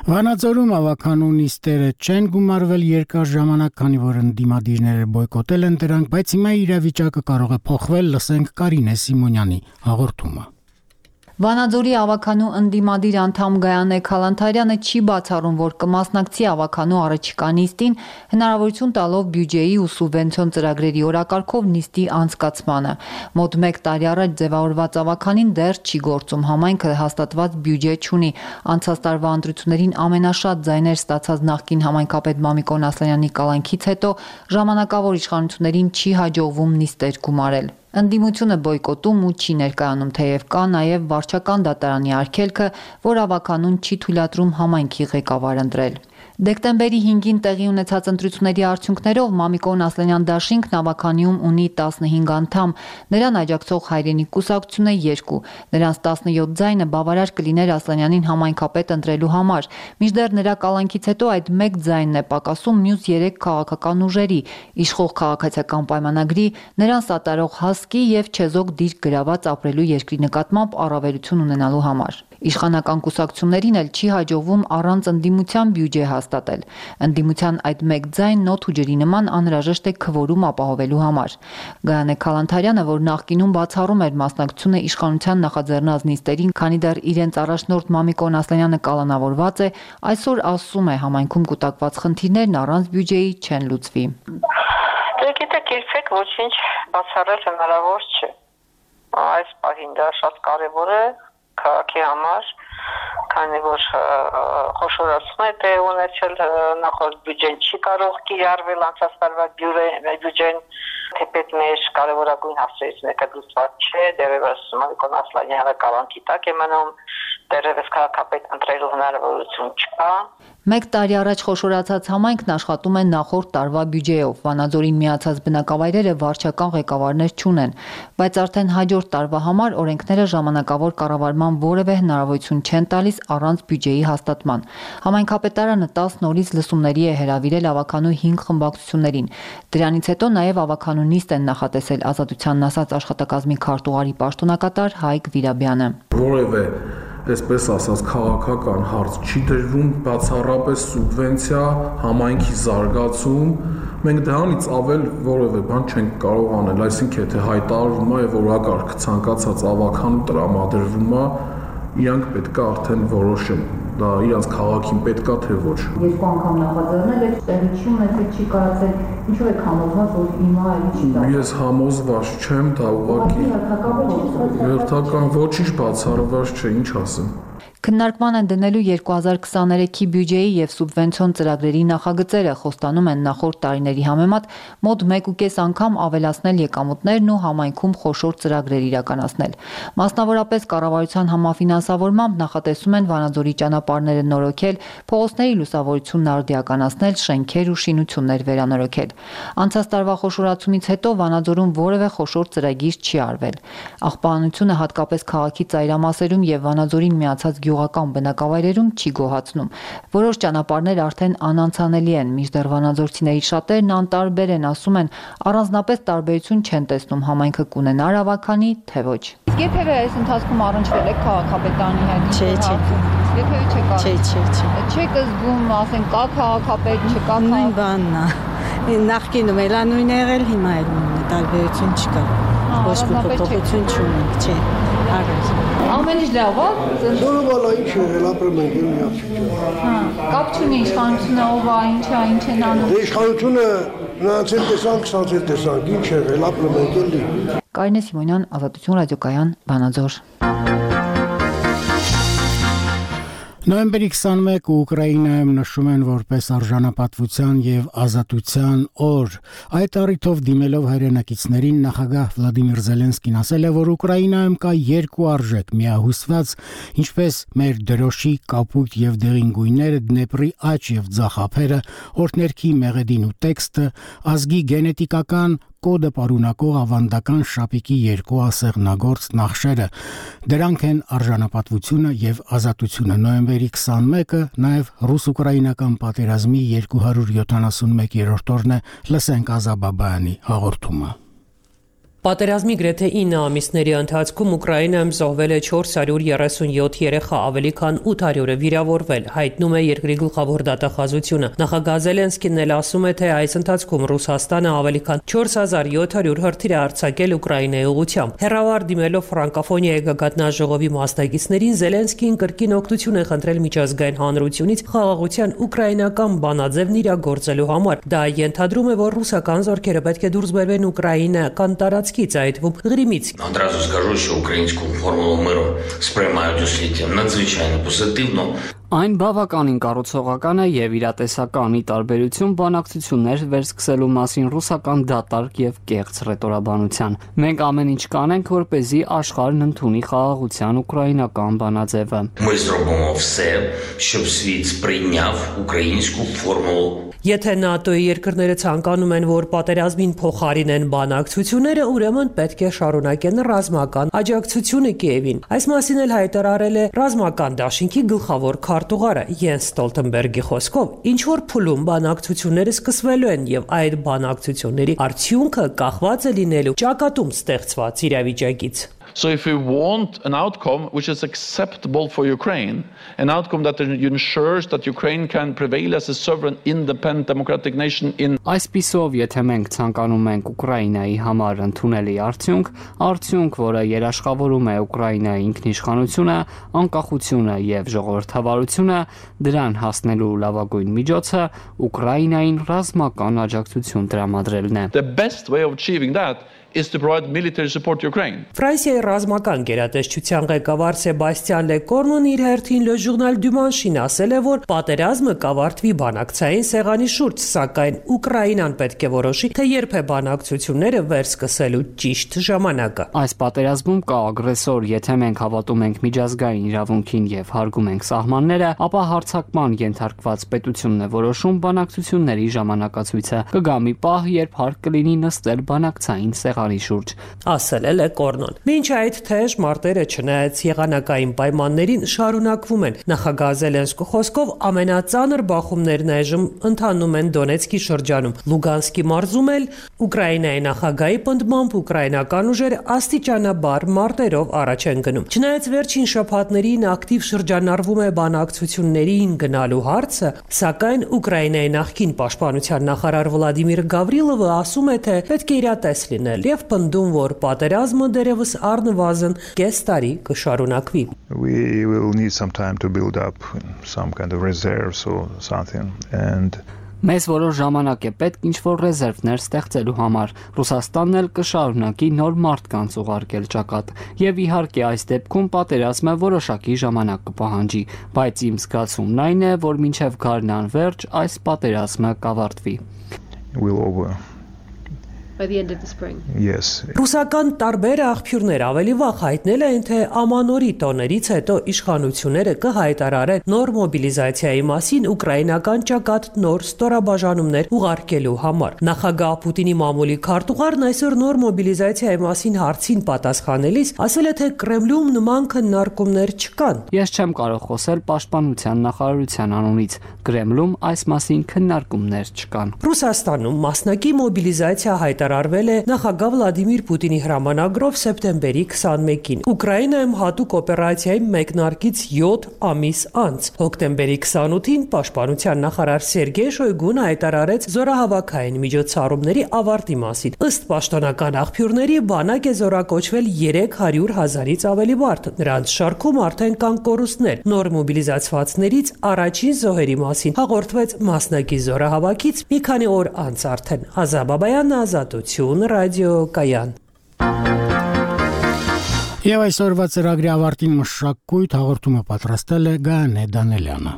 Վանաձորում ավականու նիստերը չեն գումարվել երկար ժամանակ, քանի որ ընդդիմադիրները բոյկոտել են դրանք, բայց հիմա իրավիճակը կարող է փոխվել, լսենք Կարինե Սիմոնյանի հաղորդումը։ Վանաձորի ավականու ընդդիմադիր անդամ Գայանե Քալանթարյանը չի բացառում, որ կմասնակցի ավականու առաջիկա նիստին, հնարավորություն տալով բյուջեի ու սուբվենցիոն ծրագրերի օրակարգով նիստի անցկացմանը։ Մոտ 1 տարի առաջ ձևավորված ավականին դեռ չի գործում, համայնքը հաստատված բյուջե չունի։ Անցած տարվա ընտրություններին ամենաշատ ձայներ ստացած նախկին համայնքապետ Մամիկոն Ասլանյանի կալանքից հետո ժամանակավոր իշխանություններին չի հաջողվում նիստեր գումարել։ Ընդդիմությունը բոյկոտում ու չի ներկայանում, թեև կա նաև վարչական դատարանի արգելքը, որ ավականուն չի թույլատրում համայնքի ղեկավար ընտրել։ Դեկտեմբերի 5-ին տեղի ունեցած ընտրությունների արդյունքներով Մամիկոն Ասլանյան դաշինքն ավականիում ունի 15 անդամ, նրան աջակցող հայրենիք կուսակցությունը 2, նրանց 17 ձայնը բավարար կլիներ Ասլանյանին համայնքապետ ընտրելու համար, մինչդեռ նրա կալանքից հետո այդ 1 ձայնն է պակասում մյուս 3 քաղաքական ուժերի, իշխող քաղաքացիական պայմանագրի, նրան սատարող հասկի եւ չեզոք դիրք գրաված ապրելու երկրի նկատմամբ առավելություն ունենալու համար։ Իշխանական կուսակցություններին էլ չի հաջողվում առանց ընդդիմության բյուջե հաստատել։ Ընդդիմության այդ 1 ձայնն օդ ու ջրի նման անհրաժեշտ է քվորում ապահովելու համար։ Գայանե Քալանթարյանը, որ նախկինում բացառում էր մասնակցությունը իշխանության նախաձեռնած նիստերին, քանի դեռ իրենց առաջնորդ Մամիկոն Ասլանյանը կալանավորված է, այսօր ասում է համայնքում կուտակված խնդիրներն առանց բյուջեի չեն լուծվի։ Գիտեք, երբեք ոչինչ բացառել հնարավոր չէ։ Այս պահին դա շատ կարևոր է քաղաքի համար, քանի որ խոշորացում է տեղ ունեցել, նախորդ բյուջեն չի կարող կիրառվել, անցած տարվա բյուջեն, թեպետ մեր կարևորագույն հարցերից մեկը լուծված չէ, դեռևս Մամիկոն Ասլանյանը կալանքի տակ է մնում, դեռևս քաղաքապետ ընտրելու հնարավորություն չկա։ 1 տարի առաջ խոշորացած համայնքն աշխատում է նախորդ տարվա բյուջեով։ Վանաձորին միացած բնակավայրերը վարչական ղեկավարներ չունեն, բայց արդեն հաջորդ տարվա համար օրենքները ժամանակավոր կառավարման որևէ հնարավորություն չեն տալիս առանց բյուջեի հաստատման։ Համայնքապետարանը 10 նորից լսումների է հրավիրել ավականու 5 խմբակցություններին։ Դրանից հետո նաև ավականու նիստ են նախատեսել Ազատությանն ասած աշխատակազմի քարտուղարի պաշտոնակատար Հայկ Վիրաբյանը։ Որևէ այսպես ասած քաղաքական հարց չի դրվում, բացառապես սուբվենցիա, համայնքի զարգացում, մենք դրանից ավել որևէ բան չենք կարող անել, այսինքն եթե հայտարարվում է եւ օրակարգ ցանկացած ավականու տրամադրվում է, իրանք պետք է արդեն որոշեն, դա իրանց քաղաքին պետքա թե ոչ։ Երկու անգամ նախաձեռնել եք, տեղի չի ունեցել, չի կարծել, ինչու եք համոզված, որ հիմա էլի չի դա։ Ես համոզված չեմ, դա ուղղակի հերթական ոչինչ բացառված չէ, ինչ ասեմ։ Քննարկման են դնելու 2023-ի բյուջեի եւ սուբվենցիոն ծրագրերի նախագծերը, խոստանում են նախորդ տարիների համեմատ մոտ 1.5 անգամ ավելացնել եկամուտներն ու համայնքում խոշոր ծրագրեր իրականացնել։ Մասնավորապես կառավարության համաֆինանսավորմամբ նախատեսում են Վանաձորի ճանապարհները նորոգել, փողոցների լուսավորությունն արդիականացնել, շենքեր ու շինություններ վերանորոգել։ Անցած տարվա խոշորացումից հետո Վանաձորում որևէ խոշոր ծրագիր չի արվել։ Աղբանությունը հատկապես քաղաքի ծայրամասերում եւ Վանաձորին միացած գյուղական բնակավայրերում չի գոհացնում։ Որոշ ճանապարհներ արդեն անանցանելի են, մինչդեռ վանաձորցիների շատերն անտարբեր են, ասում են, առանձնապես տարբերություն չեն տեսնում համայնքը կունենար ավականի, թե ոչ։ Իսկ երբևէ այս ընթացքում առնչվել եք քաղաքապետարանի հետ։ Չէ։ Երբևէ չեք առնչվել։ Չէ։ Չեք զգում, ասեն, կա քաղաքապետ, չկա նույն բանն է։ Նախկինում էլ նույնն է եղել, հիմա էլ նույնն է, տարբերություն չկա։ Ոչ մի փոփոխություն չունենք, չէ։ Ամեն ինչ լավ է։ Նորմալ է, ինչ եղել, ապրում ենք միակ չի։ Կապ չունի իշխանությունը ով է, ինչ են անում։ Դե իշխանությունը նրանց էլ տեսանք, սրանց էլ տեսանք, ինչ եղել, ապրում ենք էլի։ Կարինե Սիմոնյան, Ազատություն ռադիոկայան, Վանաձոր։ Նոյեմբերի 21 Ուկրաինայում նշում են որպես արժանապատվության եւ ազատության օր։ Այդ առիթով դիմելով հայրենակիցներին նախագահ Վլադիմիր Զելենսկին ասել է, որ Ուկրաինայում կա երկու արժեք՝ միահուսված, ինչպես մեր դրոշի, կապույտ եւ դեղին գույները, Դնեպրի աճ եւ ձախ ափերը, օրհներքի մեղեդին ու տեքստը, ազգի գենետիկական կոդը պարունակող ավանդական շապիկի երկու ասեղնագործ նախշերը։ Դրանք են արժանապատվությունը եւ ազատությունը։ Նոյեմբերի 21-ը նաեւ ռուս-ուկրաինական պատերազմի 271-րդ օրն է։ Լսենք Ազաբաբայանի հաղորդումը։ Պատերազմի գրեթե 9 ամիսների ընթացքում Ուկրաինայում զոհվել է 437 երեխա, ավելի քան 800-ը վիրավորվել, հայտնում է երկրի գլխավոր դատախազությունը։ Նախագահ Զելենսկին էլ ասում է, թե այս ընթացքում Ռուսաստանը ավելի քան 4700 հրթիռ է արձակել Ուկրաինայի ուղղությամբ։ Հեռավար դիմելով ֆրանկոֆոնիայի գագաթնաժողովի մասնակիցներին, Զելենսկին կրկին օգնություն է խնդրել միջազգային հանրությունից խաղաղության ուկրաինական բանաձևն իրագործելու համար։ Դա ենթադրում է, որ ռուսական զորքերը պետք է դուրս բերվեն ուկրաինական տարածքից, այդվում Ղրիմից։ Одразу скажу, що українську формулу миру сприймають у світі надзвичайно позитивно. Այն բավականին կառուցողական է եւ իրատեսական ի տարբերություն բանակցություններ վերսկսելու մասին ռուսական դատարկ եւ կեղծ ռետորաբանության։ Մենք ամեն ինչ կանենք, որպեսզի աշխարհն ընդունի խաղաղության ուկրաինական բանաձևը։ Ми зробимо все, щоб світ сприйняв українську формулу. Եթե ՆԱՏՕ-ի երկրները ցանկանում են, որ պատերազմին փոխարինեն բանակցությունները, ուրեմն պետք է շարունակեն ռազմական աջակցությունը Կիևին։ Այս մասին էլ հայտարարել է ռազմական դաշինքի գլխավոր քարտուղարը Յենս Ստոլտենբերգի խոսքով, ինչ որ փուլում բանակցությունները սկսվելու են եւ այդ բանակցությունների արդյունքը կախված է լինելու ճակատում ստեղծված իրավիճակից։ So if we want an outcome which is acceptable for Ukraine, an outcome that ensures that Ukraine can prevail as a sovereign, independent, democratic nation in Այսպիսով, եթե մենք ցանկանում ենք Ուկրաինայի համար ընդունելի արդյունք, որը երաշխավորում է Ուկրաինայի ինքնիշխանությունը, անկախությունը եւ ժողովրդավարությունը, դրան հասնելու լավագույն միջոցը Ուկրաինային ռազմական աջակցություն տրամադրելն է։ The best way of achieving that is to provide military support to Ukraine. Ֆրանսիայի ռազմական գերատեսչության ղեկավար Սեբաստիան Լեկորնն իր հերթին Le Journal du Manche-ին ասել է, որ պատերազմը կավարտվի բանակցային սեղանի շուրջ, սակայն Ուկրաինան պետք է որոշի, թե երբ է բանակցությունները վերսկսելու ճիշտ ժամանակը։ Այս պատերազմում կա ագրեսոր, եթե մենք հավատում ենք միջազգային իրավունքին եւ հարգում ենք սահմանները, ապա հարձակման ենթարկված պետությունն է որոշում բանակցությունների ժամանակացույցը։ Կգա մի պահ, երբ հարկ կլինի նստել բանակցային սեղանի շուրջ, ասել է Լեկորնոն։ Մինչ այդ թեժ մարտերը չնայած եղանակային պայմաններին շարունակվում են։ Նախագահ Զելենսկու խոսքով ամենածանր բախումներն այժմ ընթանում են Դոնեցկի շրջանում։ Լուգանսկի մարզում էլ Ուկրաինայի նախագահի պնդմամբ ուկրաինական ուժերը աստիճանաբար մարտերով առաջ են գնում։ Չնայած վերջին շաբաթներին ակտիվ շրջանառվում է բանակցություններին գնալու հարցը, սակայն Ուկրաինայի նախկին պաշտպանության նախարար Վլադիմիր Գավրիլովը ասում է, թե պետք է իրատես լինել եւ պնդում, որ պատերազմը դերևս առնվազն կես տարի կշարունակվի։ We will need some time to build up some kind of reserves or something and Մեզ որոշ ժամանակ է պետք ինչ-որ ռեզերվներ ստեղծելու համար։ Ռուսաստանն էլ կշարունակի նոր մարդկանց ուղարկել ճակատ։ Եվ իհարկե այս դեպքում պատերազմը որոշակի ժամանակ կպահանջի, բայց իմ զգացումն այն է, որ մինչև գարնան վերջ այս պատերազմը կավարտվի։ By the end of the spring. Yes. Ռուսական տարբեր աղբյուրներ ավելի վաղ հայտնել են, թե ամանորի տոներից հետո իշխանությունները կհայտարարեն նոր մոբիլիզացիայի մասին ուկրաինական ճակատ նոր ստորաբաժանումներ ուղարկելու համար։ Նախագահ Պուտինի մամուլի քարտուղարն այսօր նոր մոբիլիզացիայի մասին հարցին պատասխանելիս ասել է, թե Կրեմլում նման քննարկումներ չկան։ Ես չեմ կարող խոսել պաշտպանության նախարարության անունից։ Կրեմլում այս մասին քննարկումներ չկան։ Ռուսաստանում մասնակի մոբիլիզացիա հայտարարվել է նախագահ Վլադիմիր Պուտինի հրամանագրով սեպտեմբերի 21-ին։ Ուկրաինայում հատուկ օպերացիայի մեկնարկից 7 ամիս անց։ Հոկտեմբերի 28-ին պաշտպանության նախարար Սերգեյ Շոյգուն հայտարարեց զորահավաքային միջոցառումների ավարտի մասին։ Ըստ պաշտոնական աղբյուրների, բանակ է զորակոչվել 300,000-ից ավելի մարդ։ Նրանց շարքում արդեն կան կորուստներ։ Նոր մոբիլիզացվածներից առաջին զոհերի մասին հաղորդվեց մասնակի զորահավաքից մի քանի օր անց արդեն։ Ազա Բաբայան, Ազատություն, ռադիո Կայան։ Եվ այսօրվա ծրագրի ավարտին մշակույթ հաղորդումը պատրաստել է Գայանե Դանելյանը։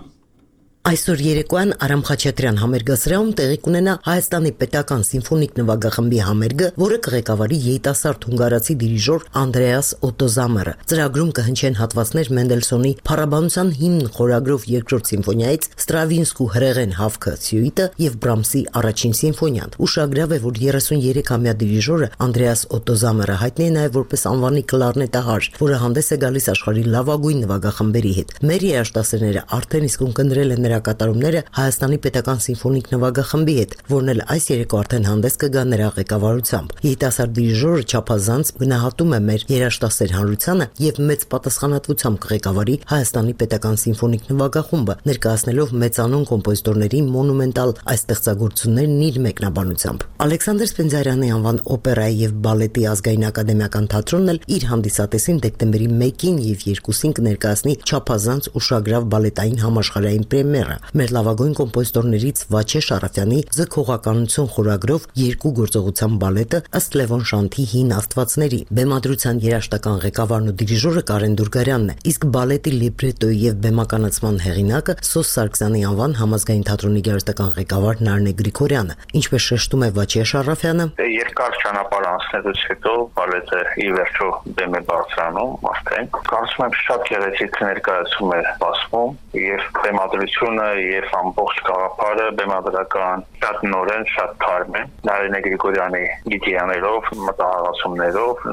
Այսօր երեկոյան Արամ Խաչատրյան համերգասրահում տեղի կունենա Հայաստանի պետական սիմֆոնիկ նվագախմբի համերգը, որը կղեկավարի երիտասարդ հունգարացի դիրիժոր Անդրեաս Օտոզամերը։ Ծրագրում կհնչեն հատվածներ Մենդելսոնի Փառաբանության հիմն խորագրով երկրորդ սիմֆոնիայից, Ստրավինսկու հրեղեն հավքը սյուիտը եւ Բրամսի առաջին սիմֆոնիան։ Ուշագրավ է, որ 33-ամյա դիրիժորը Անդրեաս Օտոզամերը հայտնի է նաեւ որպես անվանի կլարնետահար, որը հանդես է գալիս աշխարհի լավագույն նվագախմբերի հետ։ Մեր երաժշտասերները արդեն իսկ ունկնդրել են կատարումները Հայաստանի պետական սիմֆոնիկ նվագախմբի հետ, որն էլ այս երեկո արդեն հանդես կգա նրա ղեկավարությամբ։ Երիտասարդ դիրիժորը չափազանց գնահատում է մեր երաժշտասեր հանրությանը եւ մեծ պատասխանատվությամբ կղեկավարի Հայաստանի պետական սիմֆոնիկ նվագախումբը, ներկայացնելով մեծանուն կոմպոզիտորների մոնումենտալ այս ստեղծագործություններն իր մեկնաբանությամբ։ Ալեքսանդր Սպենդիարյանի անվան օպերայի եւ բալետի ազգային ակադեմիական թատրոնն էլ իր հանդիսատեսին դեկտեմբերի 1-ին եւ 2-ին կներկայացնի չափազանց ուշագրավ բալետային համաշխարհային պրեմիեր։ Մեր լավագույն կոմպոզիտորներից Վաչե Շարաֆյանի Ձգողականություն խորագրով երկու գործողության բալետը ըստ Լևոն Շանթի հին աստվածների բեմադրության երաժշտական ղեկավարն ու դիրիժորը Կարեն Դուրգարյանն է, իսկ բալետի լիբրետոյի եւ բեմականացման հեղինակը Սոս Սարգսյանի անվան համազգային թատրոնի երաժշտական ղեկավար Նարնե Գրիգորյանը։ Ինչպես շեշտում է Վաչե Շարաֆյանը, երկար ճանապարհ անցնելուց հետո բալետը ի վերջո բեմ է բարձրանում արդեն։ Կարծում եմ շատ գեղեցիկ ներկայացում է սպասվում եւ բեմադրությունը եւ ամբողջ գաղափարը բեմադրական շատ նորեն, շատ թարմ է։ Նարինե Գրիգորյանի գիտիաներով, մտահղացումներով,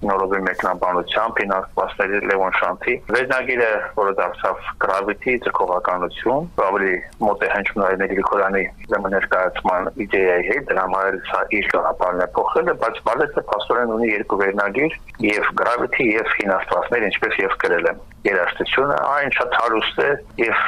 նորովի մեկնաբանությամբ հինաստվածների Լևոն Շանթի վերնագիրը, որը դարձավ Gravity ձգողականություն, ավելի մոտ է հնչում Նարինե Գրիգորյանի ներկայացման իդեայի հետ, դրա համար սա իր գաղափարն է փոխել, բայց բալետը փաստորեն ունի երկու վերնագիր, եւ Gravity եւ հինաստվածներ, ինչպես եւ գրել եմ։ Երաժշտությունը այն շատ հարուստ է եւ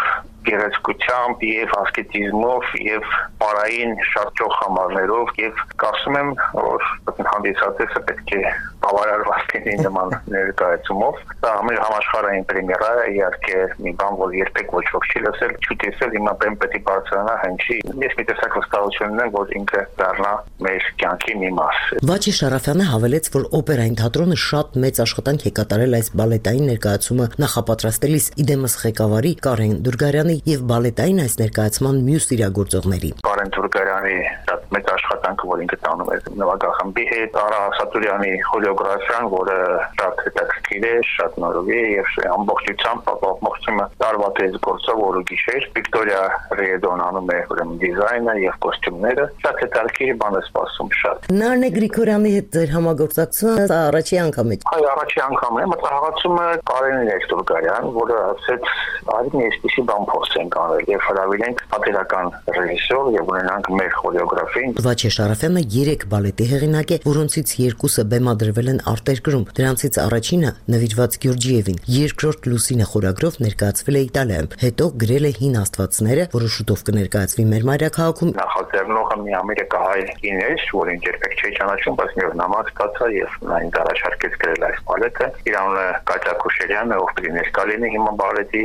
գեղեցկությամբ եւ ասկետիզմով եւ պարային շատ ճոխ համարներով եւ կարծում եմ որ հանդիսատեսը պետք է բավարարված լինի նման ներկայացումով։ Դա մեր համաշխարհային պրեմիերա է, իհարկե մի բան, որ երբեք ոչ ոք չի լսել, չի տեսել, հիմա բեմ պետք է բարձրանա հնչի։ Ես մի տեսակ վստահություն ունեմ, որ ինքը դառնա մեր կյանքի մի մաս։ Վաչե Շարաֆյանը հավելեց, որ օպերային թատրոնը շատ մեծ աշխատանք է կատարել այս բալետային ներկայացումը նախապատրաստելիս, իդեմս ղեկավարի Կարեն Դուրգարյանի եւ բալետային այս ներկայացման մյուս իրագործողների։ Կարեն Դուրգարյանի շատ մեծ աշխատանքը, որ ինքը տանում է նվագախմբի հետ, Արա Սատուրյանի խորեոգրաֆիան, որը շատ հետաքրքիր է, շատ նորովի է եւ ամբողջությամբ ապահովությունը տարվա տես գործով օրը գիշեր։ Վիկտորիա Ռեդոն անում է ուրեմն դիզայնը եւ կոստյումները, շատ հետաքրքիր բան է սպասում շատ։ Նարնե Գրիգորյանի հետ ձեր համագործակցությունը առաջի անգամ է։ Այո, առաջի անգամն է, մտահղացումը Կարենին է Դուրգարյան, որը ասեց, արի մի այսպիսի բան փոխենք անել եւ հրավիրենք պատերական ռեժիսոր եւ ունենանք մեր խորեոգրաֆին։ Վաչե Շարաֆյանը 3 բալետի հեղինակ է, որոնցից 2-ը բեմադրվել են արտերկրում։ Դրանցից առաջինը նվիրված Գյուրջիևին, երկրորդ Լուսինե խորագրով ներկայացվել է Իտալիայում, հետո գրել է Հին աստվածները, որը շուտով կներկայացվի մեր մայրաքաղաքում։ Նախաձեռնողը մի ամերիկահայ կին էր, որին երբեք չի ճանաչում, բայց մի օր նամակ ստացա եւ նա ինձ առաջարկեց գրել այս բալետը։ Իր անունը Կատյա Քուշերյանն է, ով պիտի ներկա լինի հիմա բալետի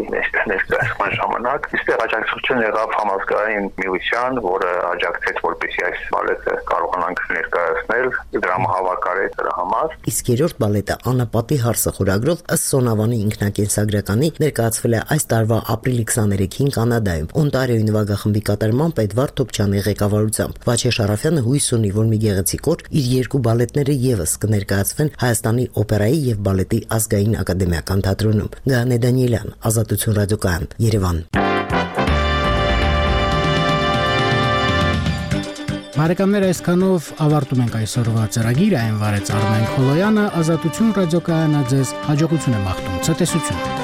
ներկայացման ժամանակ։ Այստեղ աջակցություն եղավ համազգային միության, որը աջակցեց, որպեսզի այս բալետը կարողանանք ներկայացնել, դրամահավաքարի դրա համար։ Իսկ երրորդ բալետը Անապատի հարսը խորագրով ըստ Սոնավանի ինքնակենսագրականի ներկայացվել է այս տարվա ապրիլի 23-ին Կանադայում Օնտարիոյի նվագախմբի կատարմամբ Էդվարդ Թոփչյանի ղեկավարությամբ։ Վաչե Շարաֆյանը հույս ունի, որ մի գեղեցիկ օր իր երկու բալետները եւս կներկայացվեն Հայաստանի օպերայի եւ բալետի ազգային ակադեմիական թատրոնում։ Գայանե Դանիելյան, Ազատություն ռադիոկայան, Երևան։ Բարեկամներ, այսքանով ավարտում ենք այսօրվա ծրագիրը, այն վարեց Արմեն Խոլոյանը, Ազատություն ռադիոկայանը ձեզ հաջողություն է մաղթում, ցտեսություն։